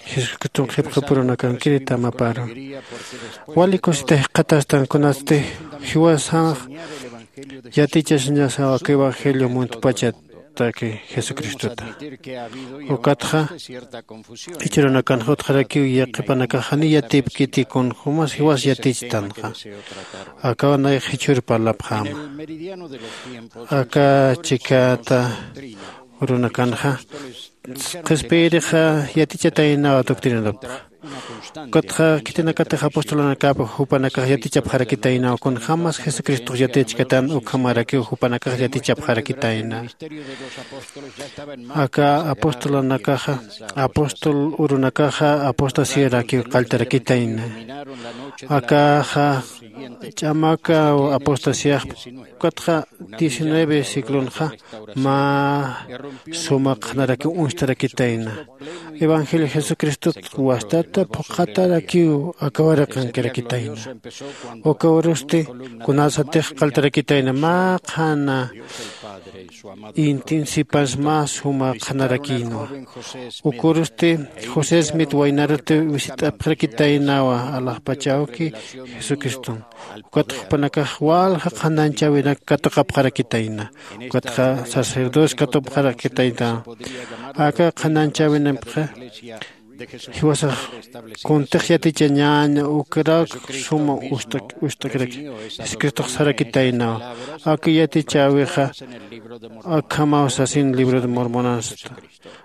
Jesucriston qhipxapurunakankirita maparu wali kusita jikxatastan kunatsti jiwasax yatichasiñasaw aka evangelio muntpachataki jesucristota. Ukatxa jichhürunakanxa utjarakiw yaqhipanakax janiy yatipkiti kunjämas jiwas yatichtanxa. Akaw nayax jichhür parlapxäma aka chikata urunakanxa qhispiyirixa yatichataynaw doctrinanapxa. Ukatxa khitinakatix apostolunakap jupanakax yatichapxarakitaynaw kunjämas jesucristox yatichkatan ukhamarakiw jupanakax yatichapxarakitayna. Aka apostolunakaxa apóstol urunakaxa apostasiyarakiw qalltarakitayna. Akaxa ch'amakaw apostasiyaxpa. Ukatxa diecinueve sigloxa mä suma qhanarakiw uñstarakitayna. Evangelio jesucristot wastata phuqhatarakiw aka waraqankirakitayna. Uka urusti kunasatix qalltarakitayna mä qhana intin sipas mä suma qhanarakïnwa. Uka urusti josé smit waynaruti visit'apxarakitaynawa alaxpachawki jesucriston. Ukatxa jupanakax walja qhananchäwinak katuqapxarakitayna. Ukatxa sacerdotes katuqapxarakitayna. Aka qhananchäwinapxa jiwasax kuntix yatichañäña ukarak suma ust'akiraki. Jesucristox sarakitaynawa aka yatichäwixa akhamaw sasin libro de mormonansta.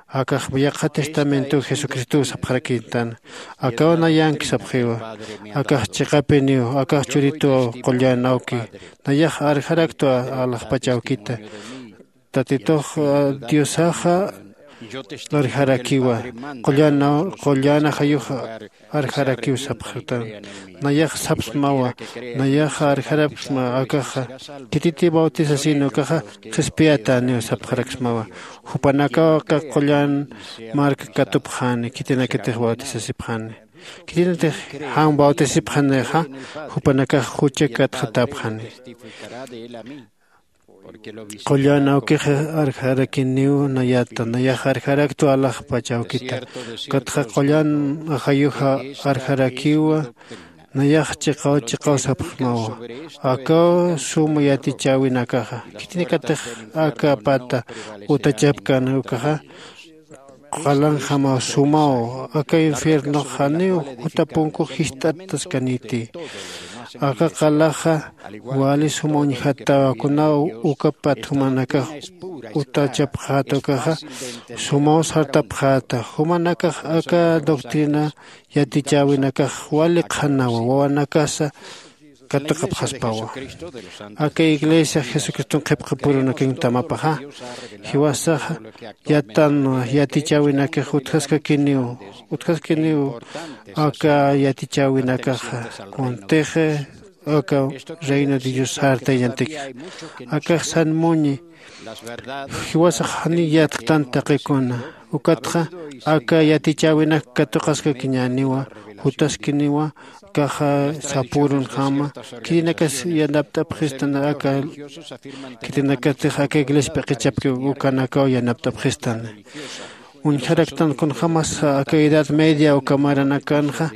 Akax yaqha testamentow jesucristow sapxarakïtan. Akaw nayanki sapxiwa. Akax chiqapiniw akax churituw qullan awki. Nayax arjaraktwa alaxpach awkita. Tatitux diosaxa arjarakiwa. Qullan ajayux arjarakiw sapxtan. Nayax sapsmawa. Nayaxa arjarapksma akaxa khititi bautizasin ukaxa qhispiyataniw sapxaraksmawa. Jupanakaw aka qullan mark katupxani khitinakatix bautizasipxani. Khitinatix jan bautisipxanixa jupanakax jucha katxatapxani. Qullan awkix arjarakiniw nayata nayax arjaraktwa alaxpach awkita. Ukatxa qullan ajayuxa arjarakiwa. Nayax chiqaw chiqaw sapxmawa. Akaw suma yatichäwinakaxa khitinakatix aka pata utachapkän ukaxa qalanjamaw sumaw. Aka infiernox janiw juta punkux jist'ataskaniti. Aka qalaxa wali suma uñjatawa kunaw uka pat jumanakax utachapxäta ukaxa sumaw sartapxäta. Jumanakax aka doctrina yatichäwinakax wali qhanawa wawanakasa katuqapxaspawa. Aka iglesia jesucriston qhipqapurunakañ tamapaxa jiwasaxa yatan yatichäwinakix utjaskakiniw utjaskiniw aka yatichäwinakaxa kuntix aka reino de dios sartayañantik. Akax san muñi jiwasax janiy yatktanta taqikuna. Ukatxa aka yatichäwinak katuqaskakiñäniwa jutaskiniwa kaxa sapürunjama. Khitinakas yanapt'apxistan aka khitinakatix aka iglesia p'iqichapki ukanakaw yanapt'apxistan. Uñjaraktan kunjämas aka edad media uka maranakanxa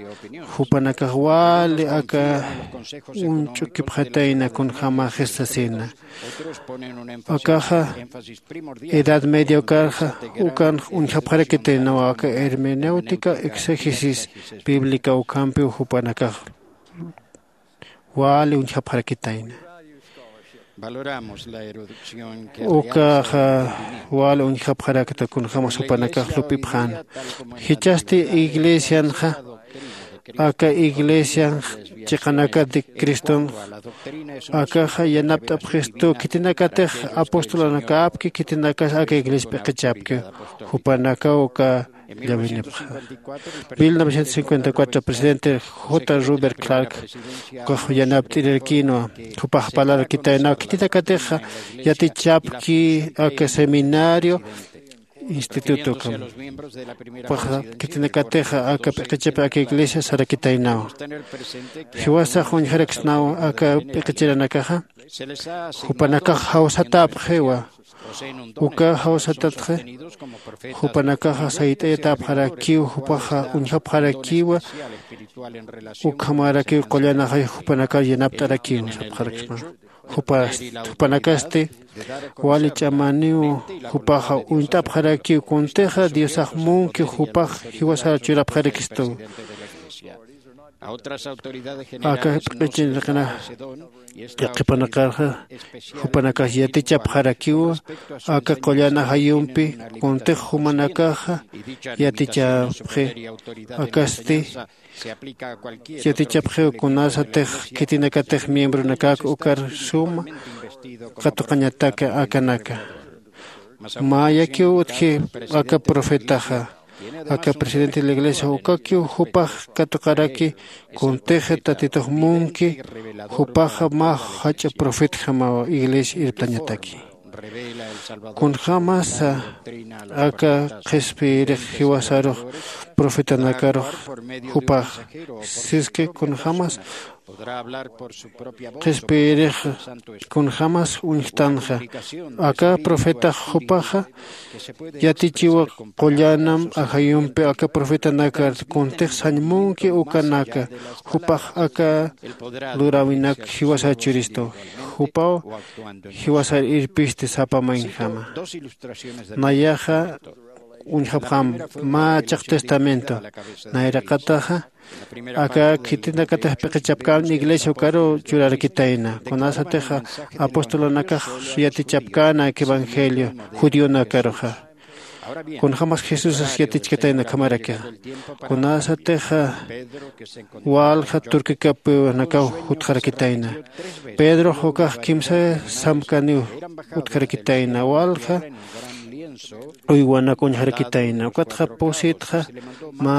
jupanakax wali aka uñch'ukipxatayna kunjämaxis sasina. Akaxa edad media ukarxa ukanx uñjapxarakitaynawa aka hermenéutica exégesis bíblica ukampiw jupanakax wali uñjapxarakitayna. Ukaxa wal uñjapxarakta kunjämas jupanakax lup'ipxäna. Jichhasti iglesianxa aka iglesianx chiqanakat de Cristonx akaxa yanapt'apxistu khitinakatix apostolanakäpki khitinakas aka iglesia p'iqichäpki jupanakaw uka llawinipxa. Mil novecientos cincuenta y cuatro presidente j rubert clark ukax yanapt'irirakinwa. Jupax parlarakitaynaw khitinakatixa yatichapki aka seminario instituto ukam. Jupaxa khitinakatixa aka p'iqichap aka iglesia sarakitaynaw. Jiwasax uñjaraksnaw aka p'iqichiranakaxa jupanakax jawsatäpxiwa. Uka jawsatatxi jupanakaxa sayt'ayatäpxarakiw jupaxa uñjapxarakiwa. Ukhamarakiw qullan ajayux jupanakar yanapt'arakiw sapxaraksma. Jupanakasti wali ch'amaniw jupaxa uñt'apxarakiw kuntixa diosax munki jupax jiwasar churapxarakistuw. Aka p'iqichinaqana yaqhipanaqarxa jupanakax yatichapxarakiwa aka qullan ajayumpi kuntix jumanakaxa yatichapxi. Akasti yatichapxiw kunasatix khitinakatix miembronakak ukar suma katuqañataka akanaka. Mä yakiw utji aka profetaxa aka presidente de la iglesia ukakiw jupax katuqaraki kuntix tatitux munki jupaxa mä jach'a profetjamaw iglesia irptañataki. Kunjämasa aka qhispiyirix jiwasarux profetanakarux jupax siski kunjämas qhispiyirix kunjämas uñjtanxa aka profetax jupaxa yatichiwa qullanam ajayumpi aka profetanakar kuntix sañ munki ukanaka jupax aka luräwinak jiwasar churistu jupaw jiwasar irpisti sapa maynjama. Nayaxa uñjapxam mä chaq testamento nayraqataxa aka khitinakatix p'iqichapkän iglesia ukaruw churarakitayna kunasatixa apostolonakax yatichapkäna aka evangelio judionakaruxa. Kunjämas jesusas yatichkatayna ukhamarakixa kunasatixa walja turkikapiwanakaw jutxarakitayna. Pedrox ukax kimsa samkaniw utjarakitayna walja uywanak uñjarakitayna ukatxa pusitxa mä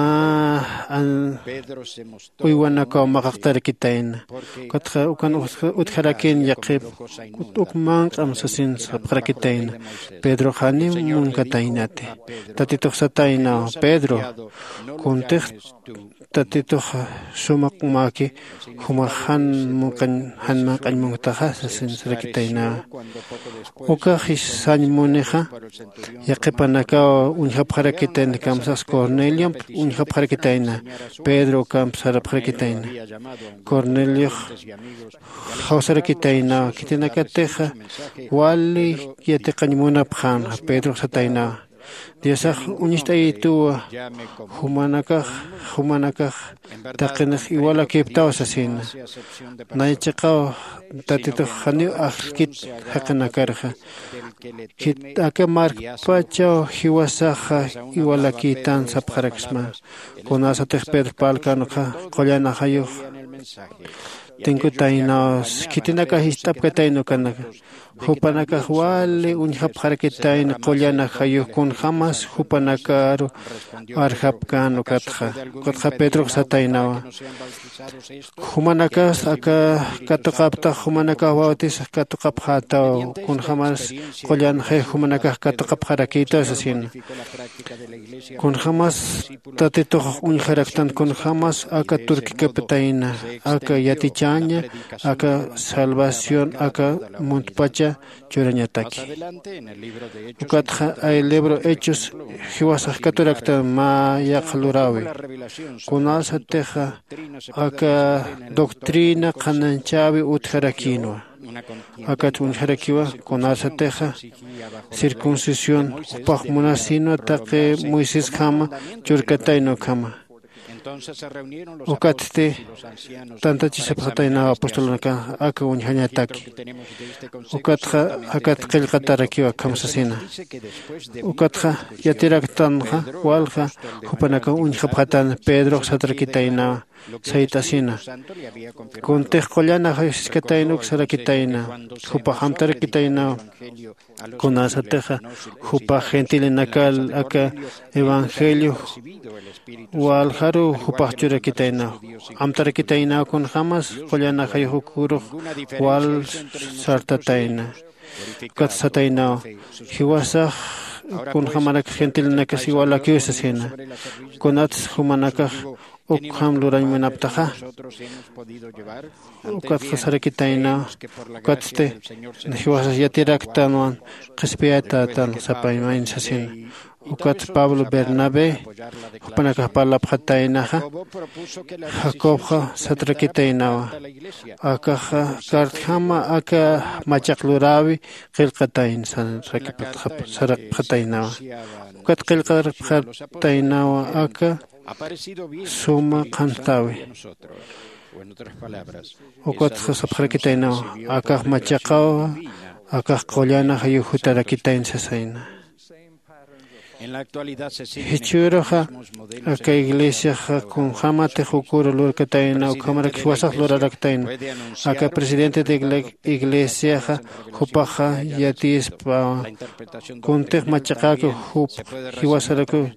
uywanakaw maqaqtarakitayna. Ukatxa ukan utjarakin yaqhip uk manq'am sasin sapxarakitayna. Pedrox janiw munkataynati. Tatitux sataynaw pedro kuntix tatitux suma q'umäki jumax jan manq'añ munktaxa sasin sarakitaynawa. Ukax sañ munixa yaqhipanakaw uñjapxarakitayna kamsax corneliomp uñjapxarakitayna. Pedro ukamp sarapxarakitayna. Corneliox jawsarakitaynawa khitinakatixa wali yatiqañ munapxänxa pedrox sataynawa diosax uñist'ayituwa jumanakax jumanakax taqinix iwalakiptaw sasina. Nay chiqaw tatitux janiw ajlkit jaqinakarxa khit aka markpachaw jiwasaxa iwalakïtan sapxaraksma. Kunasatix pedro parlkänxa qullan ajayux tinkutaynaw khitinakax ist'apkatayna ukanaka jupanakax wali uñjapxarakitayna qullan ajayux kunjämas jupanakaru arjapkän ukatxa. Ukatxa pedrox sataynawa jumanakas aka katuqaptax jumanakax bautisax katuqapxätaw kunjämas qullan ajayux jumanakax katuqapxarakïtaw sasina. Kunjämas tatitux uñjaraktan kunjämas aka turkikaptayna aka yatichäña aka salvación aka muntpacha churañataki. Ukatxa ay libro hechos jiwasax katuraktan mä yaqha luräwi kunasatixa aka doctrina qhanañchäwi utjarakïnwa. Akat uñjarakiwa kunasatixa circuncisión jupax munasinwa taqi moisesjama churkatayna ukhama. Ukatsti tantachisapxataynaw apostolunaka aka uñjañataki. Ukatxa akat qillqatarakiw akham sasina. Ukatxa yatiraktanxa walja jupanakaw uñjapxatän. Pedrox satrakitaynawa sayt'asina. Kuntix qullan ajayusiskatayna uk sarakitayna. Jupax amtarakitaynaw kunasatixa jupax gentilinakal aka evangelio waljaruw jupax churakitaynaw. Amtarakitaynaw kunjämas qullan ajayux ukürux wal sartatayna. Ukat sataynaw jiwasax kunjämarak gentilinakas iwalakiw sasina. Kunats jumanakax ukham lurañ munaptaxa. Ukatxa sarakitaynaw ukatsti jiwasas yatiraktänwan qhispiyatätan sapaymayn sasina. Ukat pablo bernabé jupanakax parlapxataynaxa. Jacobxa satrakitaynawa akaxa cartjama aka machaq luräwi qillqatayna sarapxataynawa. Ukat qillqarapxataynawa aka suma qhantäwi. Ukatxa sapxarakitaynawa akax machaqawa akax qullan ajayux jutarakitayna sasayna. Jichhüruxa aka iglesiaxa kunjämatix ukür lurkatayna ukhamarak jiwasax luraraktayna. Aka presidente de iglesiaxa jupaxa yatiyispawa kuntix machaqäkiw jup jiwasarakiw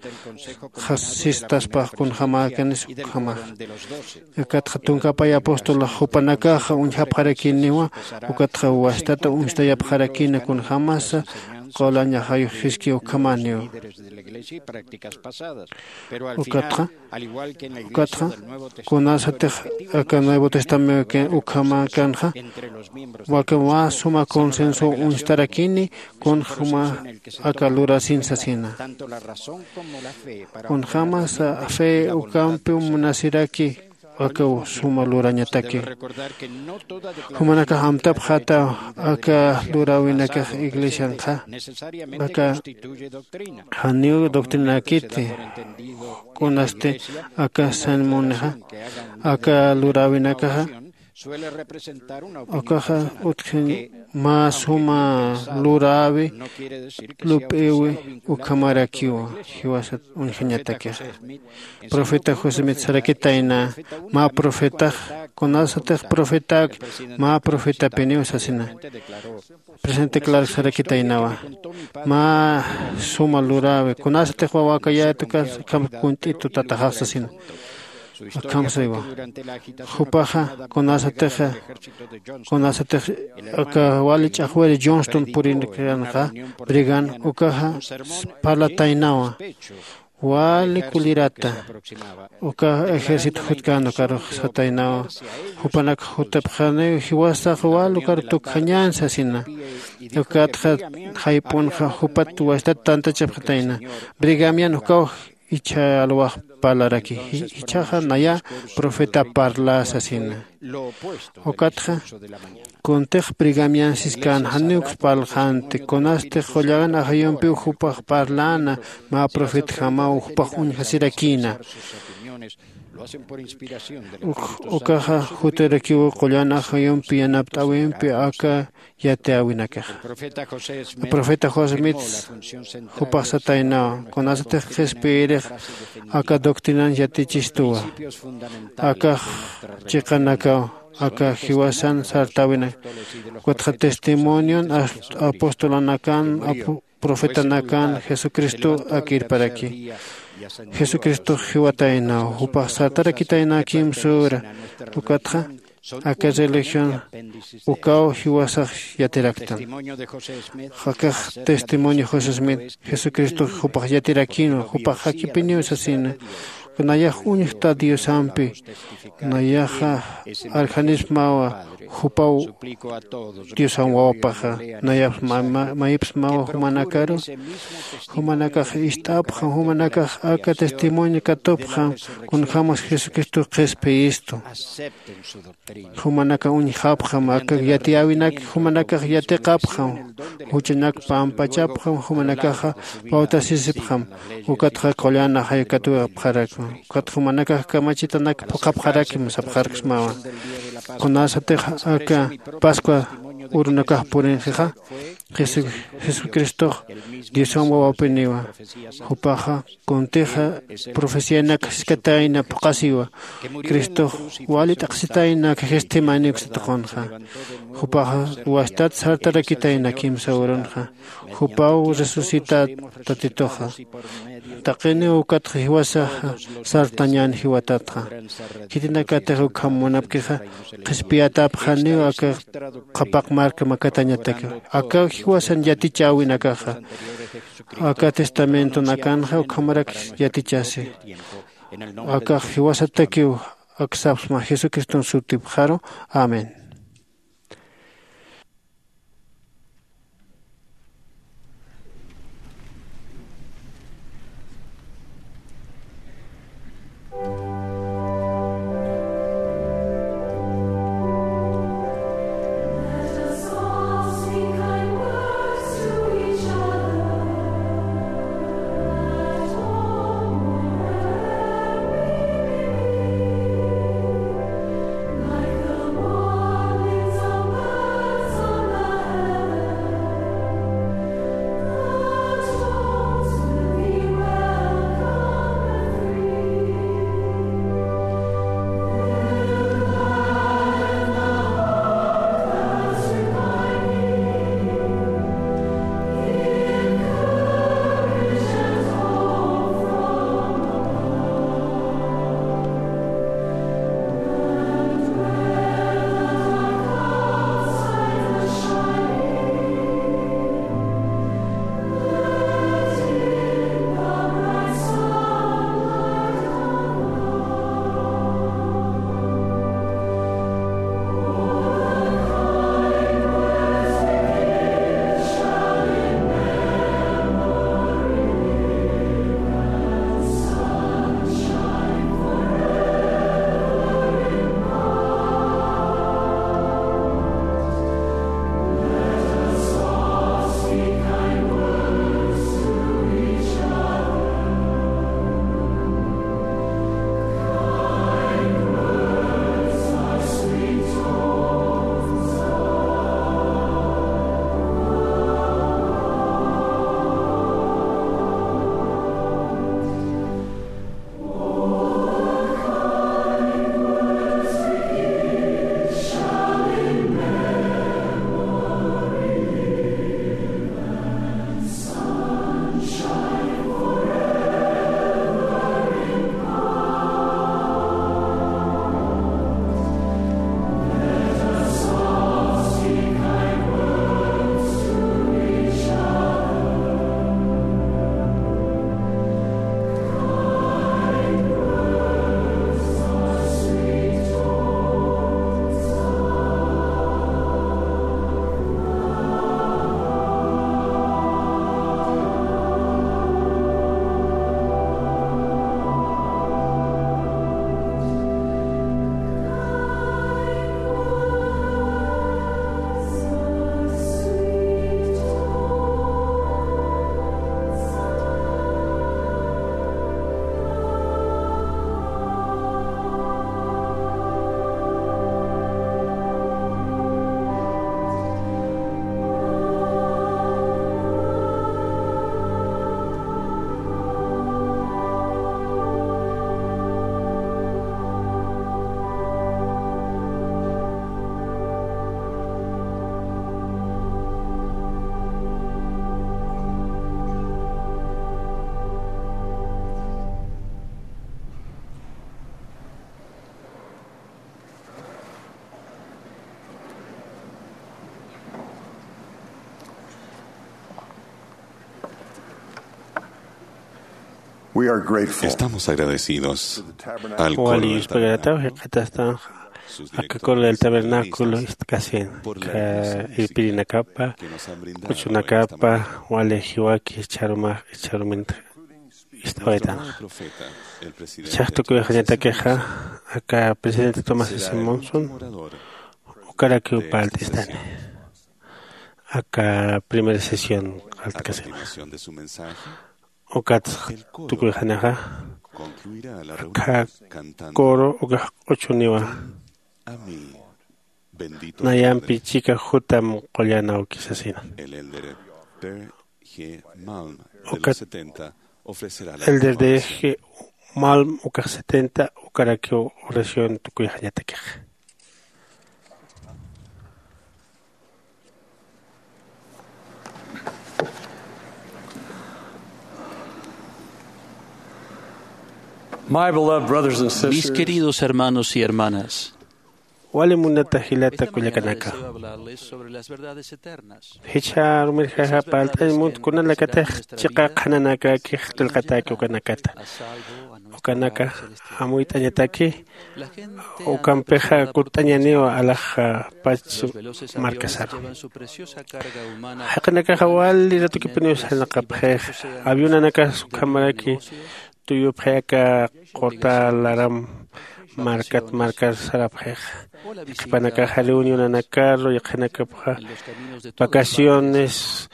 sistaspax kunjämäkanis ukhamaxa. Ukatxa tunkapay apostolax jupanakaxa uñjapxarakiniwa. Ukatxa wastata uñstayapxarakina kunjämasa qullan ajayux jiski ukhamäniwa. Ukatxa ukatxa kunasatix aka nuevo testamento ukhamäkanxa waka mä suma consenso uñstarakini kunjäma aka lurasin sasina. Kunjämasa fe ukampiw munasiraki aka suma lurañataki. Jumanakax amtapxätaw aka luräwinakax iglesianxa aka janiw doctrinakiti. Kunasti aka sermonixa aka luräwinakaxa akaxa utjin mä suma luräwi lup'iwi ukhamarakiwa. Jiwasat uñjañatakixa profeta josemit sarakitayna mä profetax kunasatix profetak mä profetapiniw sasina. Presente clark sarakitaynawa mä suma luräwi kunasatix wawakayätukas akham kunt'itu tataxax sasina. Akham saywa jupaxa kunasatixa kunasatix aka wali ch'axwiri johnston purikanxa brigan ukaxa parlataynawa wali kullirata uka ejército jutkan ukarux sataynawa. Jupanak jutapxaniw jiwasax wal ukar tukjañän sasina. Ukatxa jayp'unxa jupat wastat tantachapxatayna brigamian ukaw ichha alwax parlaraki. Ichhaxa naya profeta parla sasina. Ukatxa kuntix brigamian siskan janiw parlxänti kunasti qullan ajayumpiw jupax parläna mä profetjamaw jupax uñjasirakïna. Ukaxa jutarakiw qullan ajayumpi yanapt'äwimpi aka yatiyäwinakaxa. Profeta josemit jupax sataynawa kunasatix qhispiyirix aka doctrinan yatichistuwa akax chiqanakaw aka jiwasan sartäwinak ukatxa testimonion apostolanakan profetanakan jesucristo akirparaki. Jesucristox jiwataynaw jupax sartarakitaynaw kimsüra ukatxa aka religión ukaw jiwasax yatiraktan. Akax testimonio josé smith jesucristox jupax yatirakïnwa jupax jakipiniw sasina. Nayax uñjta diosampi nayaxa arjanismawa jupaw diosan wawapaxa. Nayax mayipsmawa jumanakaru jumanakax ist'apxam jumanakax aka testimonio katupxam kunjämas jesucristox qhispiyistu. Jumanakax uñjapxam aka yatiyäwinak jumanakax yatiqapxam juchanak pampachapxam jumanakaxa bautasisipxam. Ukatxa qullan ajay katuwapxarakma. Ukat jumanakax kamachitanak phuqhapxarakim sapxarksmawa. Kunasatix aka pascua urunakax purinxixa, Jesu- jesucristox dioswan wawapiniwa. Jupaxa kuntixa profecianak jiskatayna phuqhasiwa. Cristox wali t'aqsitayna khajisthimanik satuqunxa. Jupaxa wastat sartarakitayna kimsa urunxa. Jupaw resucitat tatituxa. Taqiniw ukatxa jiwasaxa sartañän jiwatatxa. Khitinakatix ukham munapkixa qhispiyatapxaniw aka qhapaq marka makatañatakiw. Akaw jiwasan yatichäwinakaxa aka testamentonakanxa ukhamarak yatichasi. Akax jiwasatakiw aksapxsma jesucriston sutipxaru. Amén. We are grateful. Estamos agradecidos al coro del tabernáculo, sus directores, sus pastores, por la iglesia, que nos han brindado la bendición de nuestro nuevo profeta, el presidente Thomas S. Monson, ukarakiw parlt'istani. Aka primera sesión, a continuación de su mensaje, ukat tukuyxanixa, Akha coro ukax q'uchuniwa. Nayampi chika jutam qullan awki sasina. Ukat elder de g malm ukax setenta ukarakiw oración tukuyxañatakixa. Mis queridos hermanos y hermanas, wali munata jilata kullakanaka, jichha rumirjaxa parlt'añ munt kunanakatix chiqa qhananakakix qillqatäki ukanakata. Ukanaka amuyt'añataki. Ukampixa kutt'añaniw alax pach markasaru. Jaqinakaxa wali ratukipiniw sarnaqapxix. Avionanakas ukhamaraki tuyupxay aka qurta laram markat markar sarapxix. Qhipanakaxa reunionanakaru yaqhinakapxa vacaciones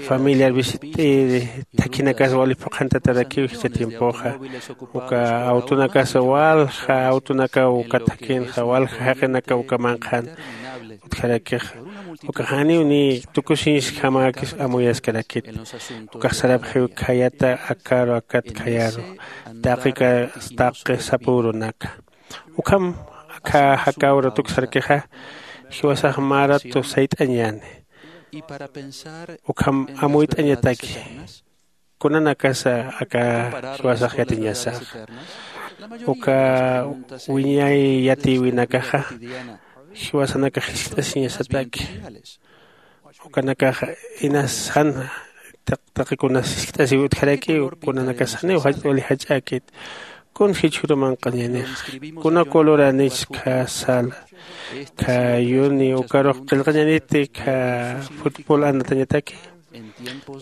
familiar visit'iri thakhinakas wali phuqhantatarakiw jichha tiempoxa. Uka awtunakasa walja awtunakaw uka thakhinxa walja jaqinakaw uka manqhan utjarakixa. Uka janiw ni tukusiñskjamäkis amuyaskarakit. Ukax sarapxiw khayata akaru akat khayaru taqi sapürunaka. Ukham akha jakäwra tuksarkixa jiwasax mä ratu sayt'añäni. Ukham amuyt'añataki kunanakasa aka jiwasax yatiñasaxa. Uka wiñay yatïwinakaxa jiwasanakax jiskt'asiñasataki. Ukanakaxa inas jan taqikunas jiskt'asiw utjarakiw kunanakas janiw wali jach'äkit. Kun jichhüru manq'añanix kuna coloranichkha sala khayuni ukarux qillqañaniti kha futbol anatañataki.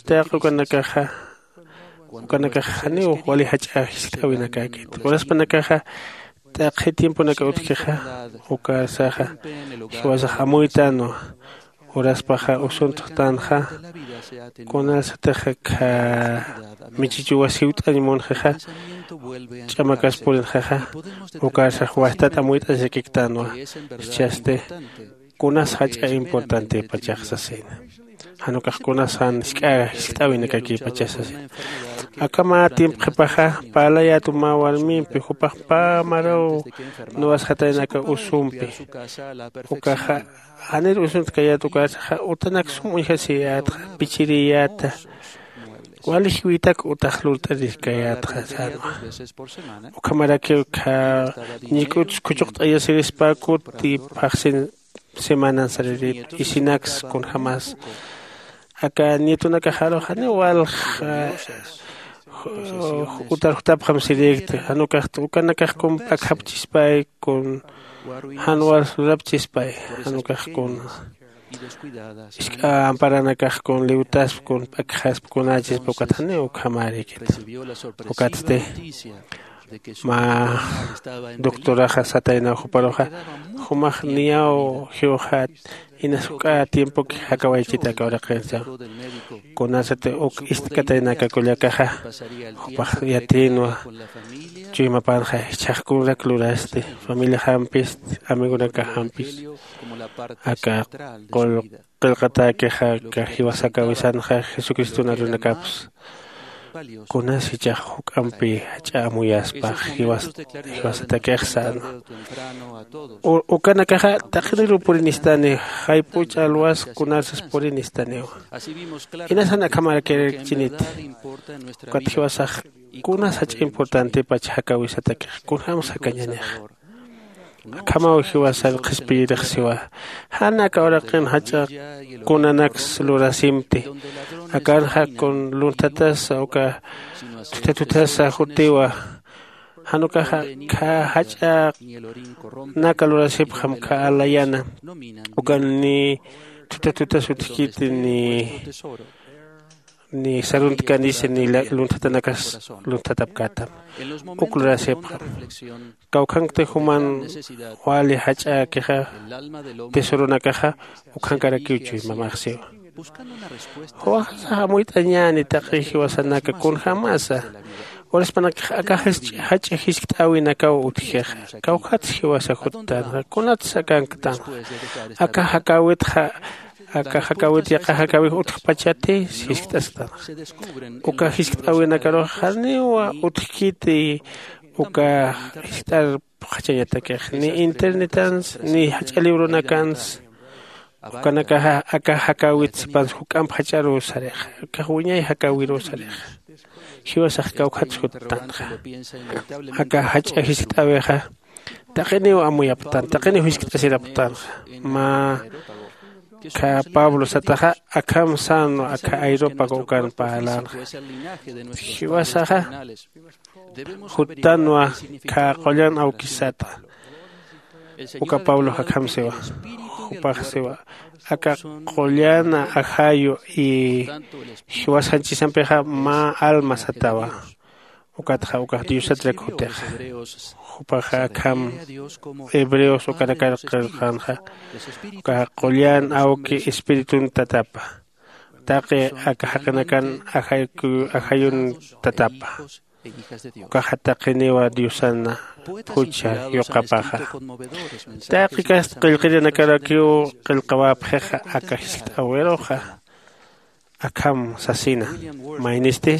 Taq ukanakaxa ukanakax janiw wali jach'a jiskt'äwinakäkit. Uraspanakaxa taqi tiemponaka utjkixa ukarsaxa jiwasax amuytänwa. Uraspaxa usuntxtanxa kunasatix kha michichuwas jiwt'añ munxixa ch'amakas purinxixa ukarsax wastat amuyt'añasakiktänwa. Jichhasti kunas jach'a importantepachax sasina. Jan ukax kunas jan jisk'a jiskt'äwinakakipachax sasina. Aka mä tiempo qhipaxa parlayätu mä warmimpi jupax pä maraw nuwasxatayna aka usumpi. Ukaxa janir usunt'kayät ukarsaxa utanak sum uñjasiyätxa pichiriyäta. Wali jiwitak utax lurt'arirkayätxa sänwa. Ukhamarakiw kha ñik'uts khuchuqt'ayasirispäkuti phaxsin semanan saririt isinaks kunjämas aka nietonakaxaru janiw walja utar jutapxam sirïkti. Jan ukaxt ukanakax kun p'akjapchispay kun jan wals lurapchispay. Jan ukax kun isk'a amparanakax kun liwtasp kun p'akjasp kunächispa ukat janiw ukhamärïkit. Ukatsti mä doctoraxa sataynaw juparuxa jumax niyaw jiwxat inas juk'a tiempoki jakawaychita aka uraqinsa. Kunasati uk ist'katayna aka kullakaxa jupax yatïnwa chuymapanxa jichhax kunrak lurasti familiaxampisti amigonakaxampis aka qullq qillqatäkixa aka jiwasakawisanxa jesucriston arunakapsa. Kunas jichhax juk'ampi jach'a amuyaspax jiwasatakix sänwa. Ukanakaxa taqiniruw purinistani jayp'uch alwas kunarsas purinistaniwa. Inasan akhamarakirikchiniti ukat jiwasax kunas jach'a importantepach jakawisatakix kunjämsa jakañanixa. Akhamaw jiwasar qhispiyirixsiwa jan aka uraqin jach'a kunanaks lurasimti. Akanxa kun lunthatasa uka thutha thuthasa jutiwa. Jan ukaxa kha jach'a naka lurasipxam kha alayana ukan ni thutha thuthas utjkiti ni ni saruntkanisi ni lunthatanakas lunthatapkätam. Uk lurasipxam kawkhankti juman wali jach'äkixa tesoronakaxa ukhankarakiw chuymamaxsiwa. Juwaxasax amuyt'añäni taqi jiwasanaka kunjämasa Uraspanakax aka jach'a jiskt'äwinakaw utjixa. Kawkhatsa jiwasa juttanxa, kunatsa akanktanxa. Aka jakäwitxa aka jakäwit yaqha jakäwix utjpachati jiskt'asktanxa. Uka jiskt'äwinakarux janiw utjkiti uka jiskt'ar phuqhachañatakix ni internetansa ni jach'a libronakansa. Ukanakaxa aka jakäwit sipans juk'amp jach'aruw sarixa. Akax wiñay jakäwiruw sarixa. Jiwasax kawkhatsa juttanxa. Aka jach'a jiskt'äwixa taqiniw amuyaptan taqiniw jiskt'asiraptanxa. Mä kha pablo sataxa akham sänwa akha ayrupak ukan parlänxa. Jiwasaxa juttanwa kha qullan awkis sata. Uka pablox akham siwa. Jupax siwa aka qullan ajayu y jiwas janchisampixa mä alma satawa. Ukatxa ukax diosatrak jutixa. Jupaxa akham hebreos ukanakar qillqänxa uka qullan awki espiritun tatapa. Taqi aka jaqinakan ajayun tatapa. Ukaxa taqiniwa diosana jucha yuqapaxa. Taqi kasta qillqirinakarakiw qillqawäpxixa aka jiskt'äwiruxa. Akham sasina maynisti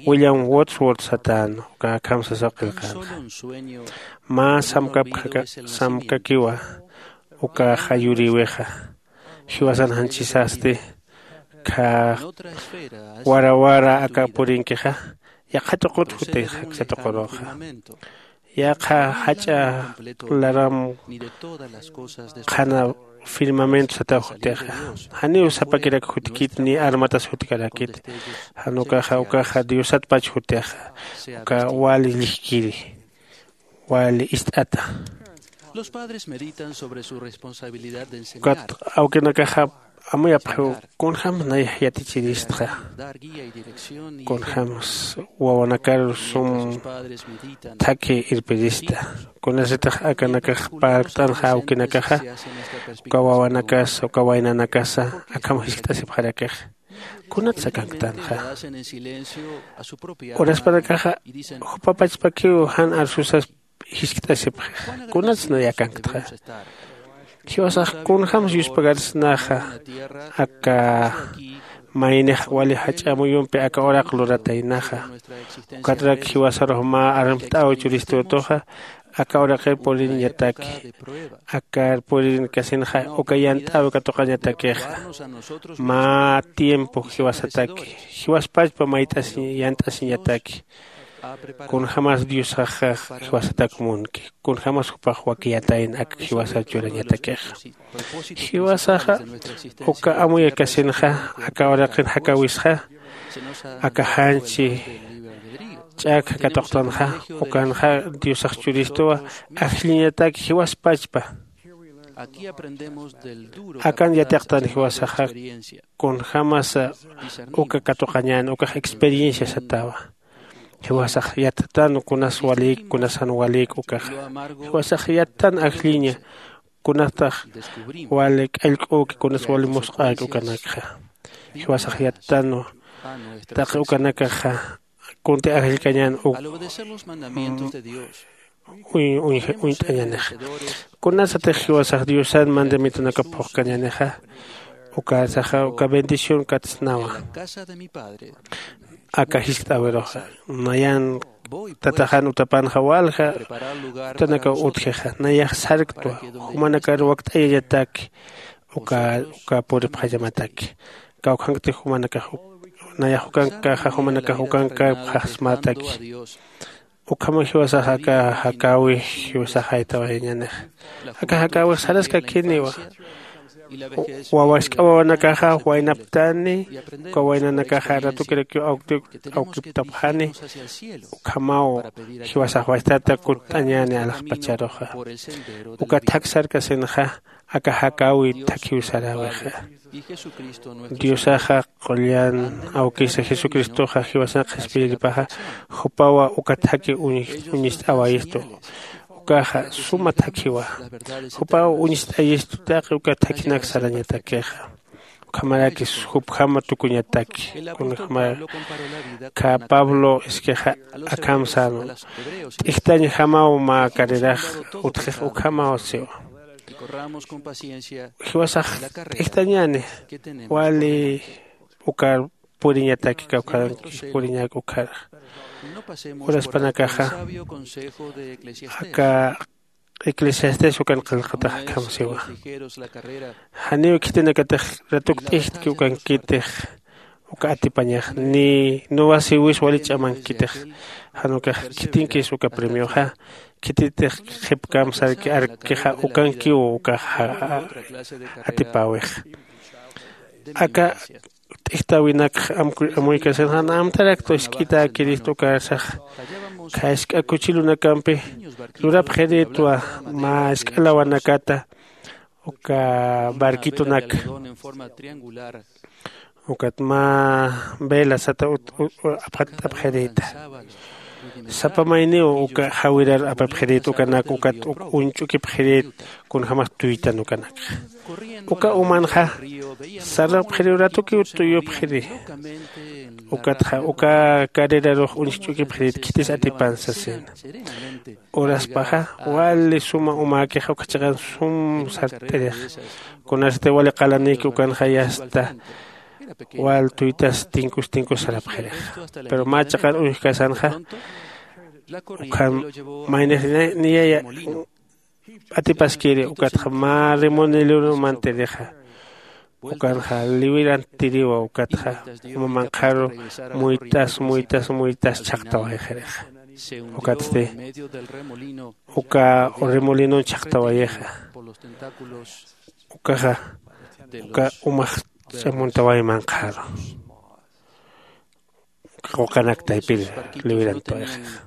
william wordsworth satän uka akham sasaw qillqänxa. Mä samkapkhaka samkakiwa ukaxa yurïwixa. Jiwasan janchisasti kha wara wara aka purinkixa yaqha tuqut jutixa aksa tuquruxa. Yaqha jach'a laram qhana firmamento sataw jutixa. Janiw sapakirak jutkit ni armatas jutkarakit. Jan ukaxa ukaxa diosatpach jutixa uka wali llijkiri wali ist'ata. Los padres meditan sobre su responsabilidad de enseñar. Ukat awkinakaxa amuyapxiw kunjämsa nayax yatichiristxa. Kunjämsa wawanakar sum thakhi irpirista. Kunasatix akanakax parlkt'anxa awkinakaxa uka wawanakasa uka waynanakasa akham jiskt'asipxarakix. Kunatsa akanktanxa? Uraspanakaxa jupa pachpakiw jan arsusas jiskt'asipxix. Kunatsa nay akanktxa? Jiwasax kunjämsa yuspagarsnaxa aka maynix wali jach'a amuyumpi aka uraq lurataynaxa. Ukatrak jiwasarux mä armt'äw churistütuxa aka uraqir puriñataki. Akar purirkasinxa uka yant'äwi katuqañatakixa. Mä tiempo jiwasataki jiwaspachpa mayt'asiñ yant'asiñataki. Kunjämas diosaxa jiwasatak munki. Kunjämas jupax wakiyatayna ak jiwasar churañatakixa. Jiwasaxa uka amuyakasinxa aka uraqin jakäwisxa aka janchi ch'akha katuqtanxa. Ukanxa diosax churistuwa ajlliñatak jiwaspachpa. Akan yatiqtan jiwasaxa kunjämasa uka katuqañän ukax experiencia satawa. Jiwasax yattan kunas walïk kunas jan walïk ukaxa. Jiwasax yattan ajlliña kunatax wali k'allk'üki kunas wali musq'äki ukanakxa. Jiwasax yattanwa taqi ukanakaxa kunti ajllkañän uk uñt'añänixa. Kunasatix jiwasax diosan mandamientonakap phuqkañänixa. Ukasaxa uka bendición katsnawa. Aka jiskt'äwiruxa nayan tataxan utapanxa walja utanakaw utjixa nayax sarktwa jumanakar wakt'ayañataki uka uka puripxañamataki. Kawkhankti jumanakax nayax ukankaxa jumanakax ukankapxaxsmataki. Ukhama jiwasax aka jakäwi jiwasax jaytawayañänixa. Aka jakäwix saraskakiniwa. Wawask'a wawanakaxa waynaptani uka waynanakaxa ratukirakiw awkiptapxani. Ukhamaw jiwasax wajtata kutt'añäni alaxpacharuxa. Uka thak sarkasinxa aka jakäwi thakhiw saräwixa. Diosaxa qullan awkisa jesucristoxa jiwasan qhispiyiripaxa jupawa uka thakhi uñist'awayistu. Ukaxa suma thakhiwa. Jupaw uñist'ayistu taqi uka thakhinak sarañatakixa. Ukhamarakis jupjama tukuñataki kunjama. Kha pablo iskixa akham sänwa. T'ijtañjamaw mä carrerax utjix ukhamaw siwa. Jiwasax t'ijtañäni wali ukar puriñataki kawkhankis puriñak ukhar. Uraspanakaxa aka eclesiastés ukan qillqatax akham siwa. Janiw khitinakatix ratuk t'ijtki ukankitix uka atipañax ni nuwasiwis wali ch'amankitix. Jan ukax khitinkis uka premioxa khititix qhipkam sarki arkixa ukankiw ukax atipäwix. Aka t'ijtäwinakx amuykasin jan amtaraktu isk'itäkirist ukarsax. Khaysk'a kuchilunakampi lurapxirïtwa mä isk'a lawanakata uka barquitunak ukat mä vela sata apxatt'apxirïta. Sapa mayniw uka jawirar apapxirït ukanak ukat uñch'ukipxirït kunjämas tuytan ukanakxa. Uka umanxa sarapxiriw ratukiw tuyupxiri. Ukatxa uka carrerarux uñch'ukipxirït khitis atipan sasina. Uraspaxa wali suma umäkixa uka chiqan sum sart'irixa. Kunasati wali qalanïki ukanxa yasta wal tuytas tinkus tinkus sarapxirixa. Pero mä chiqan uñjkasanxa ukham maynix niyaya p'atipaskiri ukatxa mä remolinorumanti rixa. Ukanxa liwirantiriwa ukatxa uma manqharu muyt'as muyt'as muyt'as chhaqtawayxirixa. Ukatsti uka remolinon chhaqtawayixa. Ukaxa uka umax ch'amuntaway manqharu. Quqanak taypir liwirantawayxixa.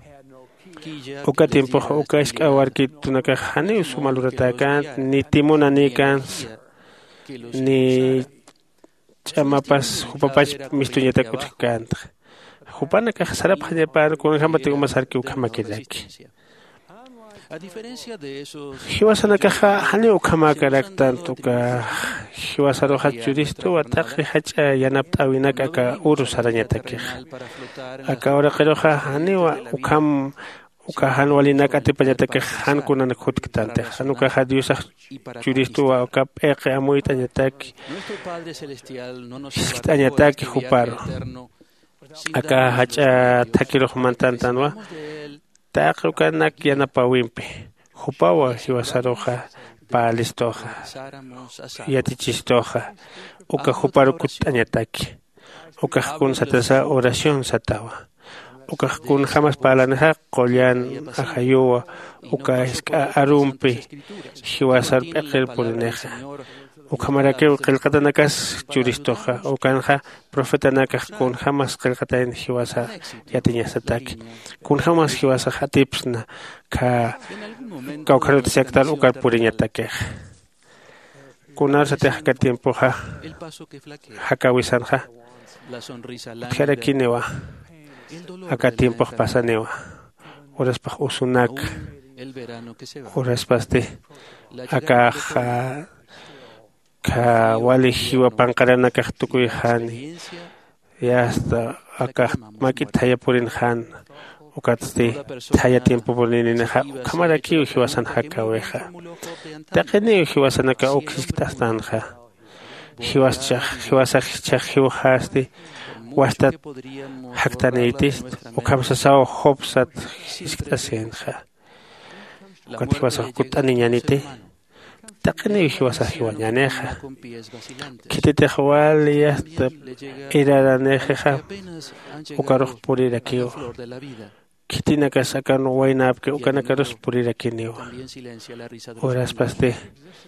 Uka tiempoxa uka isk'a warkitunakax janiw suma luratäkänti ni timunanïkänsa ni ch'amapas jupapach mistuñatak utjkänti. Jupanakax sarapxañapan kunjämati uma sarki ukhamakiraki. Jiwasanakaxa janiw ukhamäkaraktanti uka jiwasaruxa churistuwa taqi jach'a yanapt'äwinak aka uru sarañatakixa. Aka uraqiruxa janiwa ukham uka jan walinak atipañatakix jan kunanak jutktantix jan ukaxa diosax churistuwa uka p'iqi amuyt'añataki jiskt'añataki juparu. Aka jach'a thakirux mantantanwa taqi ukanak yanapäwimpi. Jupawa jiwasaruxa parlistuxa yatichistuxa uka juparu kutt'añataki. Ukax kun satasa oración satawa. Ukax kunjämas parlanixa qullan ajayuwa uka jisk'a arumpi jiwasar p'iqir purinixa. Ukhamarakiw qillqatanakas churistuxa ukanxa profetanakax kunjämas qillqatayan jiwasa yatiñasataki. Kunjämas jiwasax atipsna kha kawkharutasiaktar ukar puriñatakixa. Kunarsatix aka tiempoxa jakäwisanxa utjarakiniwa. Aka tiempox pasaniwa uraspax usunak uraspasti akax kha wali jiwa panqaranakax tukuyxani. Yasta akax mak'it thaya purinxan ukatsti thaya tiempo purininixa ukhamarakiw jiwasan jakäwixa. Taqiniw jiwasanaka uk jiskt'astanxa. Jiwasax jiwasax jichhax jiwxasti wastat jaktanïtist ukham sasaw job sat jiskt'asinxa. Ukat jiwasax kutt'aniñaniti taqiniw jiwasax jiwañänixa. Khititix wali yasta iraranixixa ukarux purirakiwa. Khitinakas akan waynäpki ukanakarus purirakiniwa. Uraspasti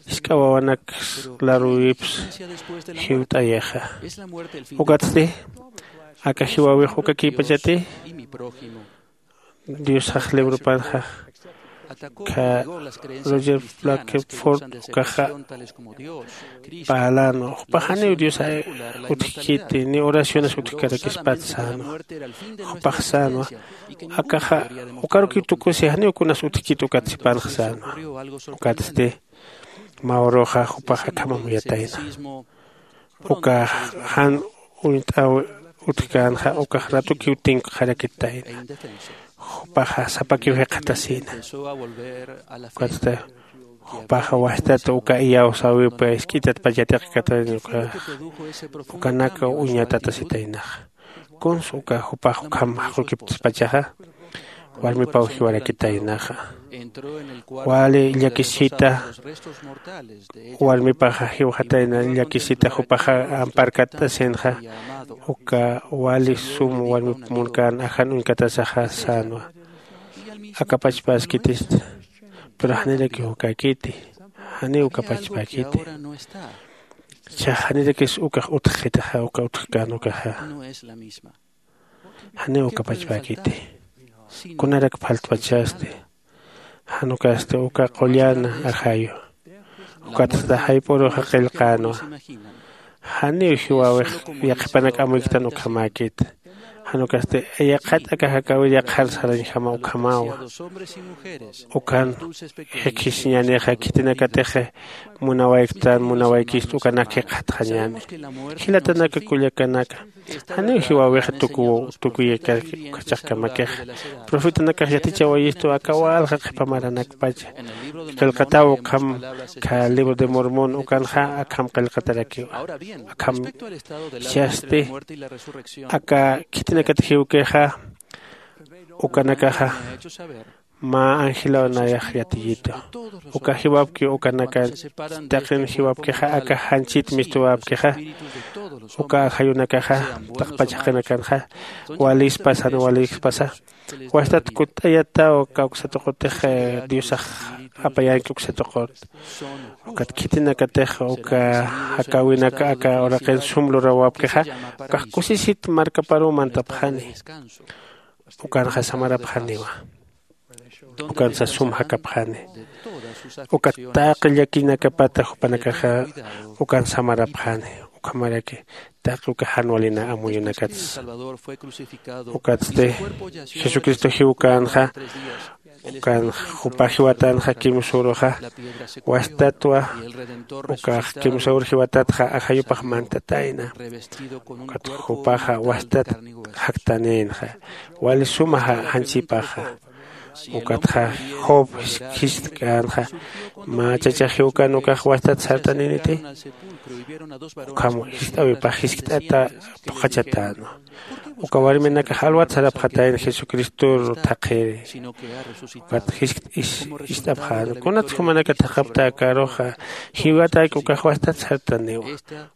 jisk'a wawanaks laruwips jiwt'ayixa. Ukatsti aka jiwäwix ukakïpachati diosax librupanxa kha roger blackford ukaxa parlänwa jupax janiw dios utjkiti ni oraciones utjkarakispat sänwa. Jupax sänwa akaxa ukarukiw tukusi janiw kunas utjkit ukat sipanx sänwa. Ukatsti mä uruxa jupax akham amuyatayna. Uka jan uñt'aw utjkänxa ukax ratukiw tinkxarakitayna. Jupaxa sapakiw jikxatasïna. Ukatsti jupaxa wastat uka iyawsäwipa isk'itatpach yatiqkatayna ukax ukanaka uñatatasitaynaxa. Kunsa uka jupax ukham jaqukipkspachaxa warmipaw jiwarakitaynaxa. Wali llakisita warmipaxa jiwxatayna llakisita jupaxa amparkatt'asinxa. Uka wali sum warmip munkän ajan uñkatasaxa sänwa. Akapachpäskitista pero janirakiw ukäkiti. Janiw ukapachpäkiti. Cha janirakis ukax utjxitaxa uka utjkän ukaxa. Janiw ukapachpäkiti. Kunarak phaltpachasti. Jan ukasti uka qullan ajayu. Ukatsta jayp'uruxa qillqänwa. Janiw jiwäwix yaqhipanak amuyktan ukhamäkit. Jan ukasti yaqhat aka jakäwir yaqhar sarañjama ukhamawa. Ukan jikisiñänixa khitinakatix munawayktan munawaykist ukanak jikxatxañäni. Jilatanaka kullakanaka, janiw jiwäwixa tukuw tukuyakaki uka chaqkamakixa. Profetanakax yatichawayistu aka walja qhipa maranakpacha. Qillqatäw ukham kha libro de mormón ukanxa akham qillqatarakiwa. Akham jichhasti aka khitinakat jiwkixa ukanakaxa mä angeläw nayax yatiyitu. Uka jiwapkiw ukanakan taqin jiwapkixa aka janchit mistuwapkixa uka ajayunakaxa taqpach jaqinakanxa walispas jan walispasa. Wastat kutt'ayataw kawksatuqutix diosax apayänki uksatuqut. Ukat khitinakatix uka jakäwinak aka uraqin sum lurawapkixa ukax kusisit markaparuw mantapxani. Ukanxa samarapxaniwa. Ukansa sum jakapxani. Ukat taqi llakinakapata jupanakaxa ukan samarapxani. Ukhamaraki taqi uka jan walina amuyunakatsa. Ukatsti jesucristo jiwkänxa ukan jupa jiwatanxa kimsüruxa wastatwa. Ukax kimsüru jiwatatxa ajayupax mantatayna. Ukat jupaxa wastat jaktanïnxa wali suma janchipaxa. Ukatxa job jiskt'känxa mä chacha jiwkän ukax wastat sartanïniti. Ukham jiskt'äwipax jiskt'ata phuqhachatänwa. Uka warminakax alwat sarapxatayna jesucristor thaqhiri. Ukat jiskt ist'apxäna kunats jumanaka thaqhapta akaruxa jiwatäki ukax wastat sartaniwa.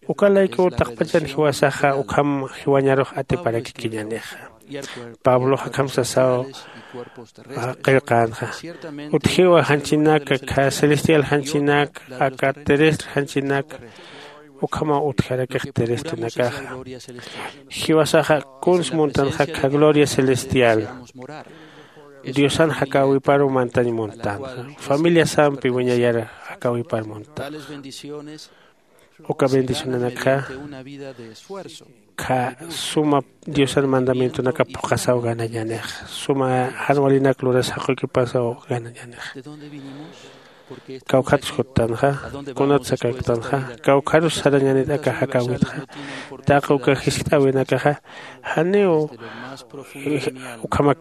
Uka laykuw taqpachan jiwasaxa ukham jiwañarux atiparakikiñänixa. Pablox akham sasaw qillqänxa. Utjiwa janchinak kha celestial janchinak aka terrestre janchinak. Ukhamaw utjarakix terrestrenakaxa. Jiwasaxa kuns muntanxa kha gloria celestial diosan jakäwiparu mantañ muntanxa. Familiasampi wiñayar jakäwipar muntanxa. Uka bendicionanakxa kha suma diosan mandamientonaka phuqhasaw ganañänixa. Suma jan walinak luras jaqukipasaw ganañänixa. Kawkhatsa juttanxa? Kunatsa kaktanxa? Kawkharus sarañänit aka jakäwitxa? Taqi uka jiskt'äwinakaxa janiw ukhamak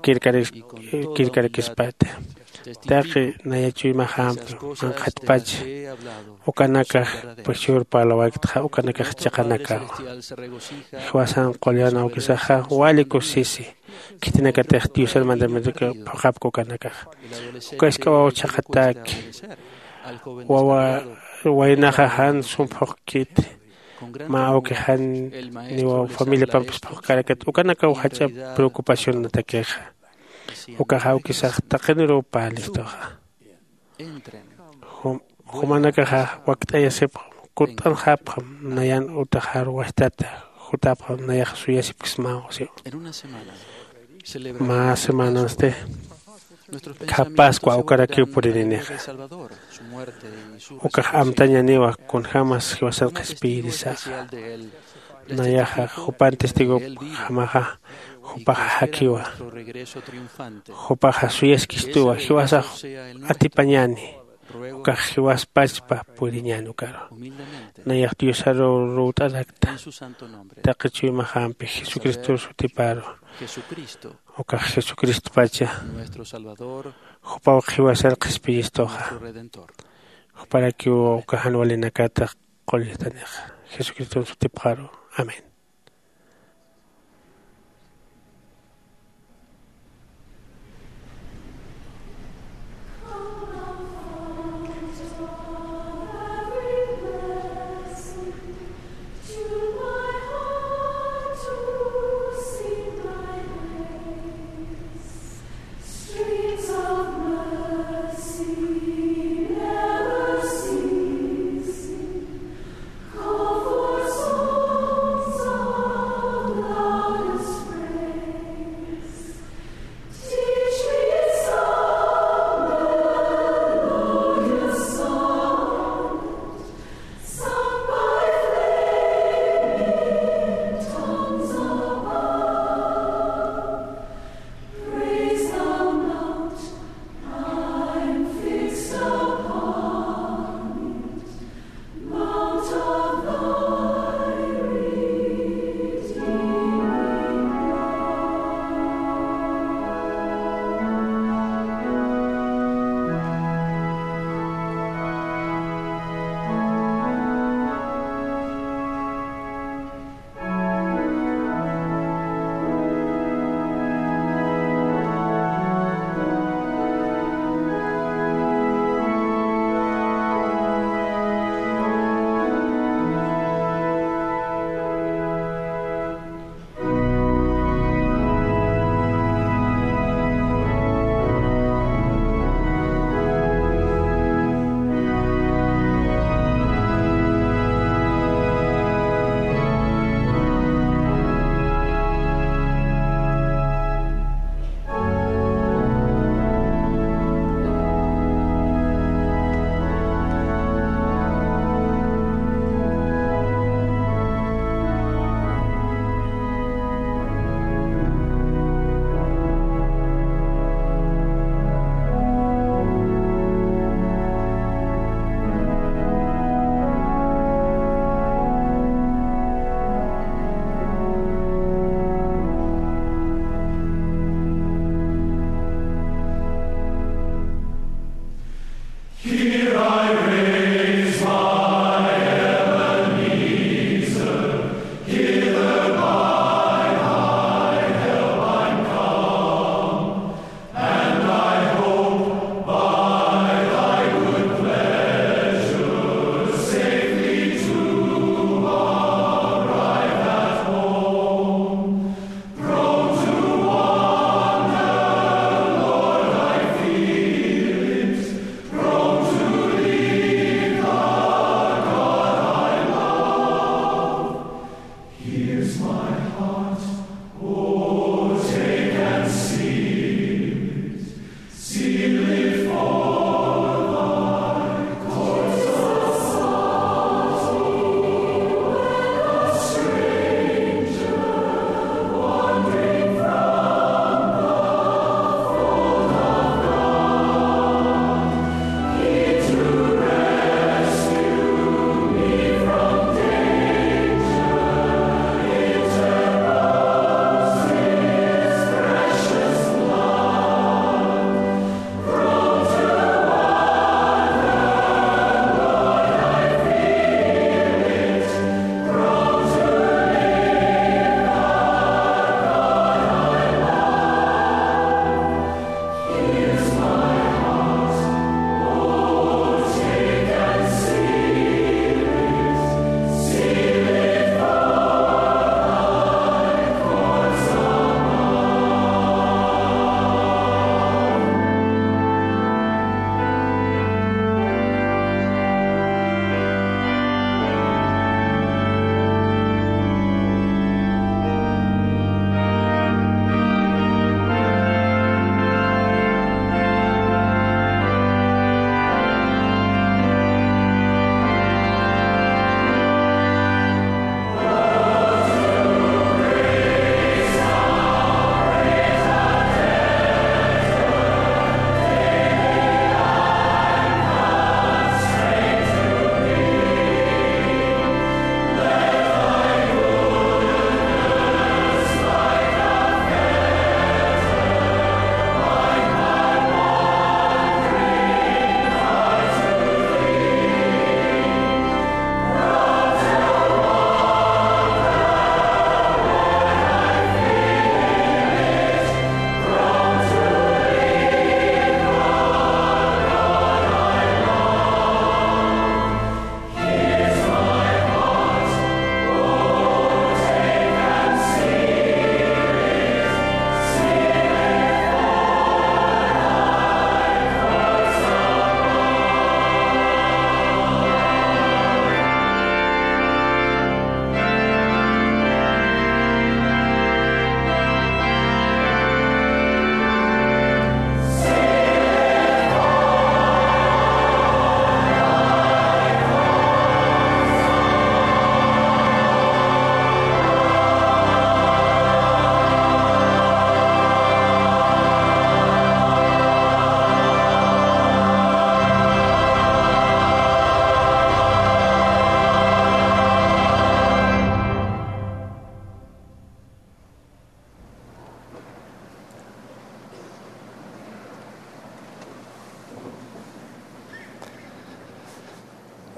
kirkarakispati. Taqi naya chuymaxampi manqhatpacha ukanakax pachur parlawayktxa ukanakax chiqanakawa. Jiwasan qullan awkisaxa wali kusisi. Khitinakatix diosan mandamientoka phuqhapki ukanakaxa. Uka isk'awaw chhaqhatäki. Wawa waynaxa jan sum phuqkiti. Mä awki jan niwa familiapampis phuqkarakat ukanakaw jach'a preocupacionatakixa. Ukax awkisax taqiniruw parlistuxa. Jumanakaxa wakt'ayasipxam kutt'anxapxam nayan utaxar wajtata jutapxam nayax suyasipksmaw siw. Mä semanansti kha pascua ukarakiw purininixa. Ukax amtañaniwa kunjämas jiwasan qhispiyirisaxa. Nayaxa jupan testigopjamaxa jupaxa jakiwa. Jupaxa suyaskistuwa jiwasax atipañani. Ukax jiwaspachpa puriñän ukaru. Nayax diosaru ruwt'arakta. Taqi chuymaxampi jesucristor sutiparu. Ukax jesucristopacha. Jupaw jiwasar qhispiyistuxa. Juparakiw uka jan walinakata qulliqtanixa. Jesucriston sutipxaru. Amén.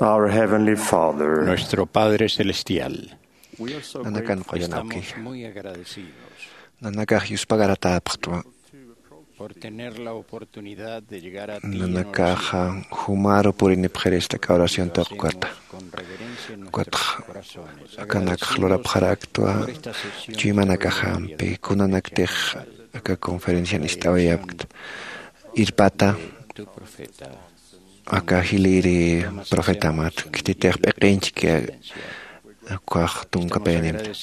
Our Heavenly Father. Nuestro Padre Celestial. Nanakan qullan awki. Nanakax yuspagaratäpxtwa. Por tener la oportunidad de llegar a ti en oración. Nanakaxa jumaru purinipxirista aka oración tuqkata. Ukatxa akanakx lurapxarakta chuymanakaxampi kunanaktix aka conferencian ist'awayapkta. Irpata aka jilïri profetamat khititix p'iqinchki ukax tunka payanimta.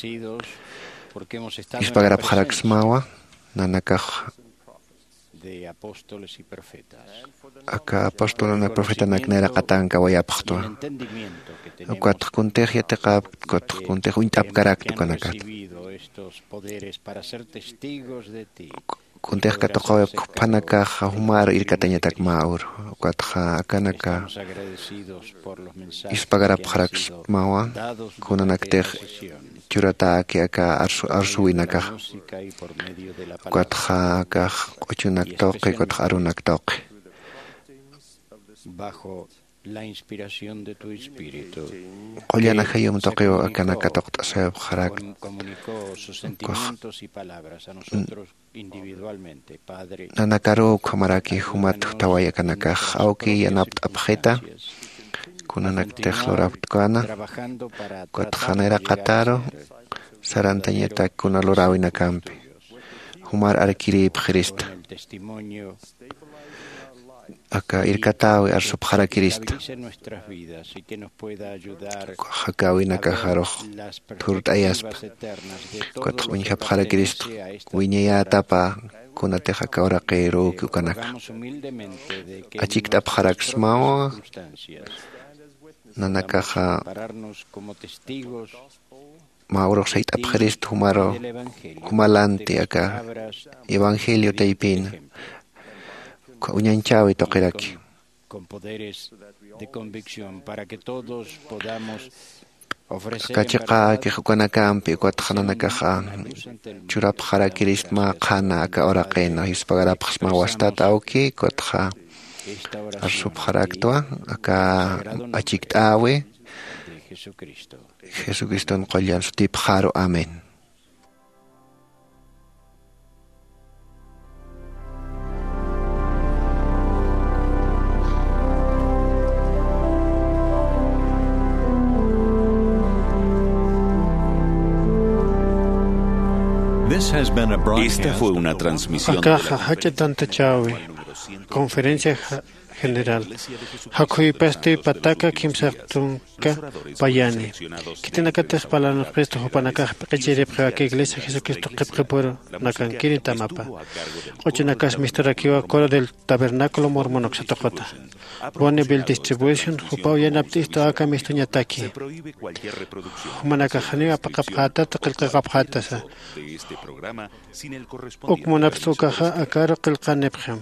Ispagarapxaraksmawa nanakax aka apostolanak profetanak nayraqatankawayapxtwa. Ukatx kuntix yatiqapkt ukatx kuntix uñt'apkarakt ukanakat. Kuntix katuqawayapk juphanakaxa jumar irkatañatak mä uru. Ukatxa akanaka ispagarapxaraksmawa kunanaktix churatäki aka arsuwinakaxa. Ukatxa akax q'uchunak tuqi ukatxa arunak tuqi. Qullana jayum tuqiw akanak katuqt'asayapxarakta. Nanakaruw ukhamaraki jumat jutaway akanakax awki yanapt'apxita. Kunanaktix lurapktukana ukatxa nayraqataru sarantañatak kuna luräwinakampi jumar arkirïpxirista. Aka irkatäwi arsupxarakirista. Ukax jakäwinakaxarux thurt'ayaspa ukatx uñjapxarakirista wiñayätapa kunatix aka uraqïruki ukanaka. Achikt'apxaraksmawa nanakaxa mä urux sayt'apxirist jumaru jumalanti aka evangelio taypina uñañchäwi tuqiraki. Aka chiqäkix ukanakampi ukatxa nanakaxa churapxarakiristma qhana aka uraqina yuspagarapxsma wastat awki ukatxa arsupxaraktwa aka achikt'äwi. Jesucriston qullan sutipxaru amén. Esta fue una transmisión de la Akaxa jach'a tantachäwi conferencia general. Jakhuypasti pataka kimsaqtunka payani. Khitinakatix parlanxpistu jupanakax p'iqichiripxiw aka iglesia Jesucristo qhipqipuru nakankiri tamapa. Q'uchunakas misturakiwa coro del tabernáculo mormon uksatuquta. Bonneville distribution jupaw yanapt'istu aka mistuñataki. Jumanakax janiw apaqapxätata qillqaqapxätasa. Uk munapxta ukaxa akaru qillqanipxim.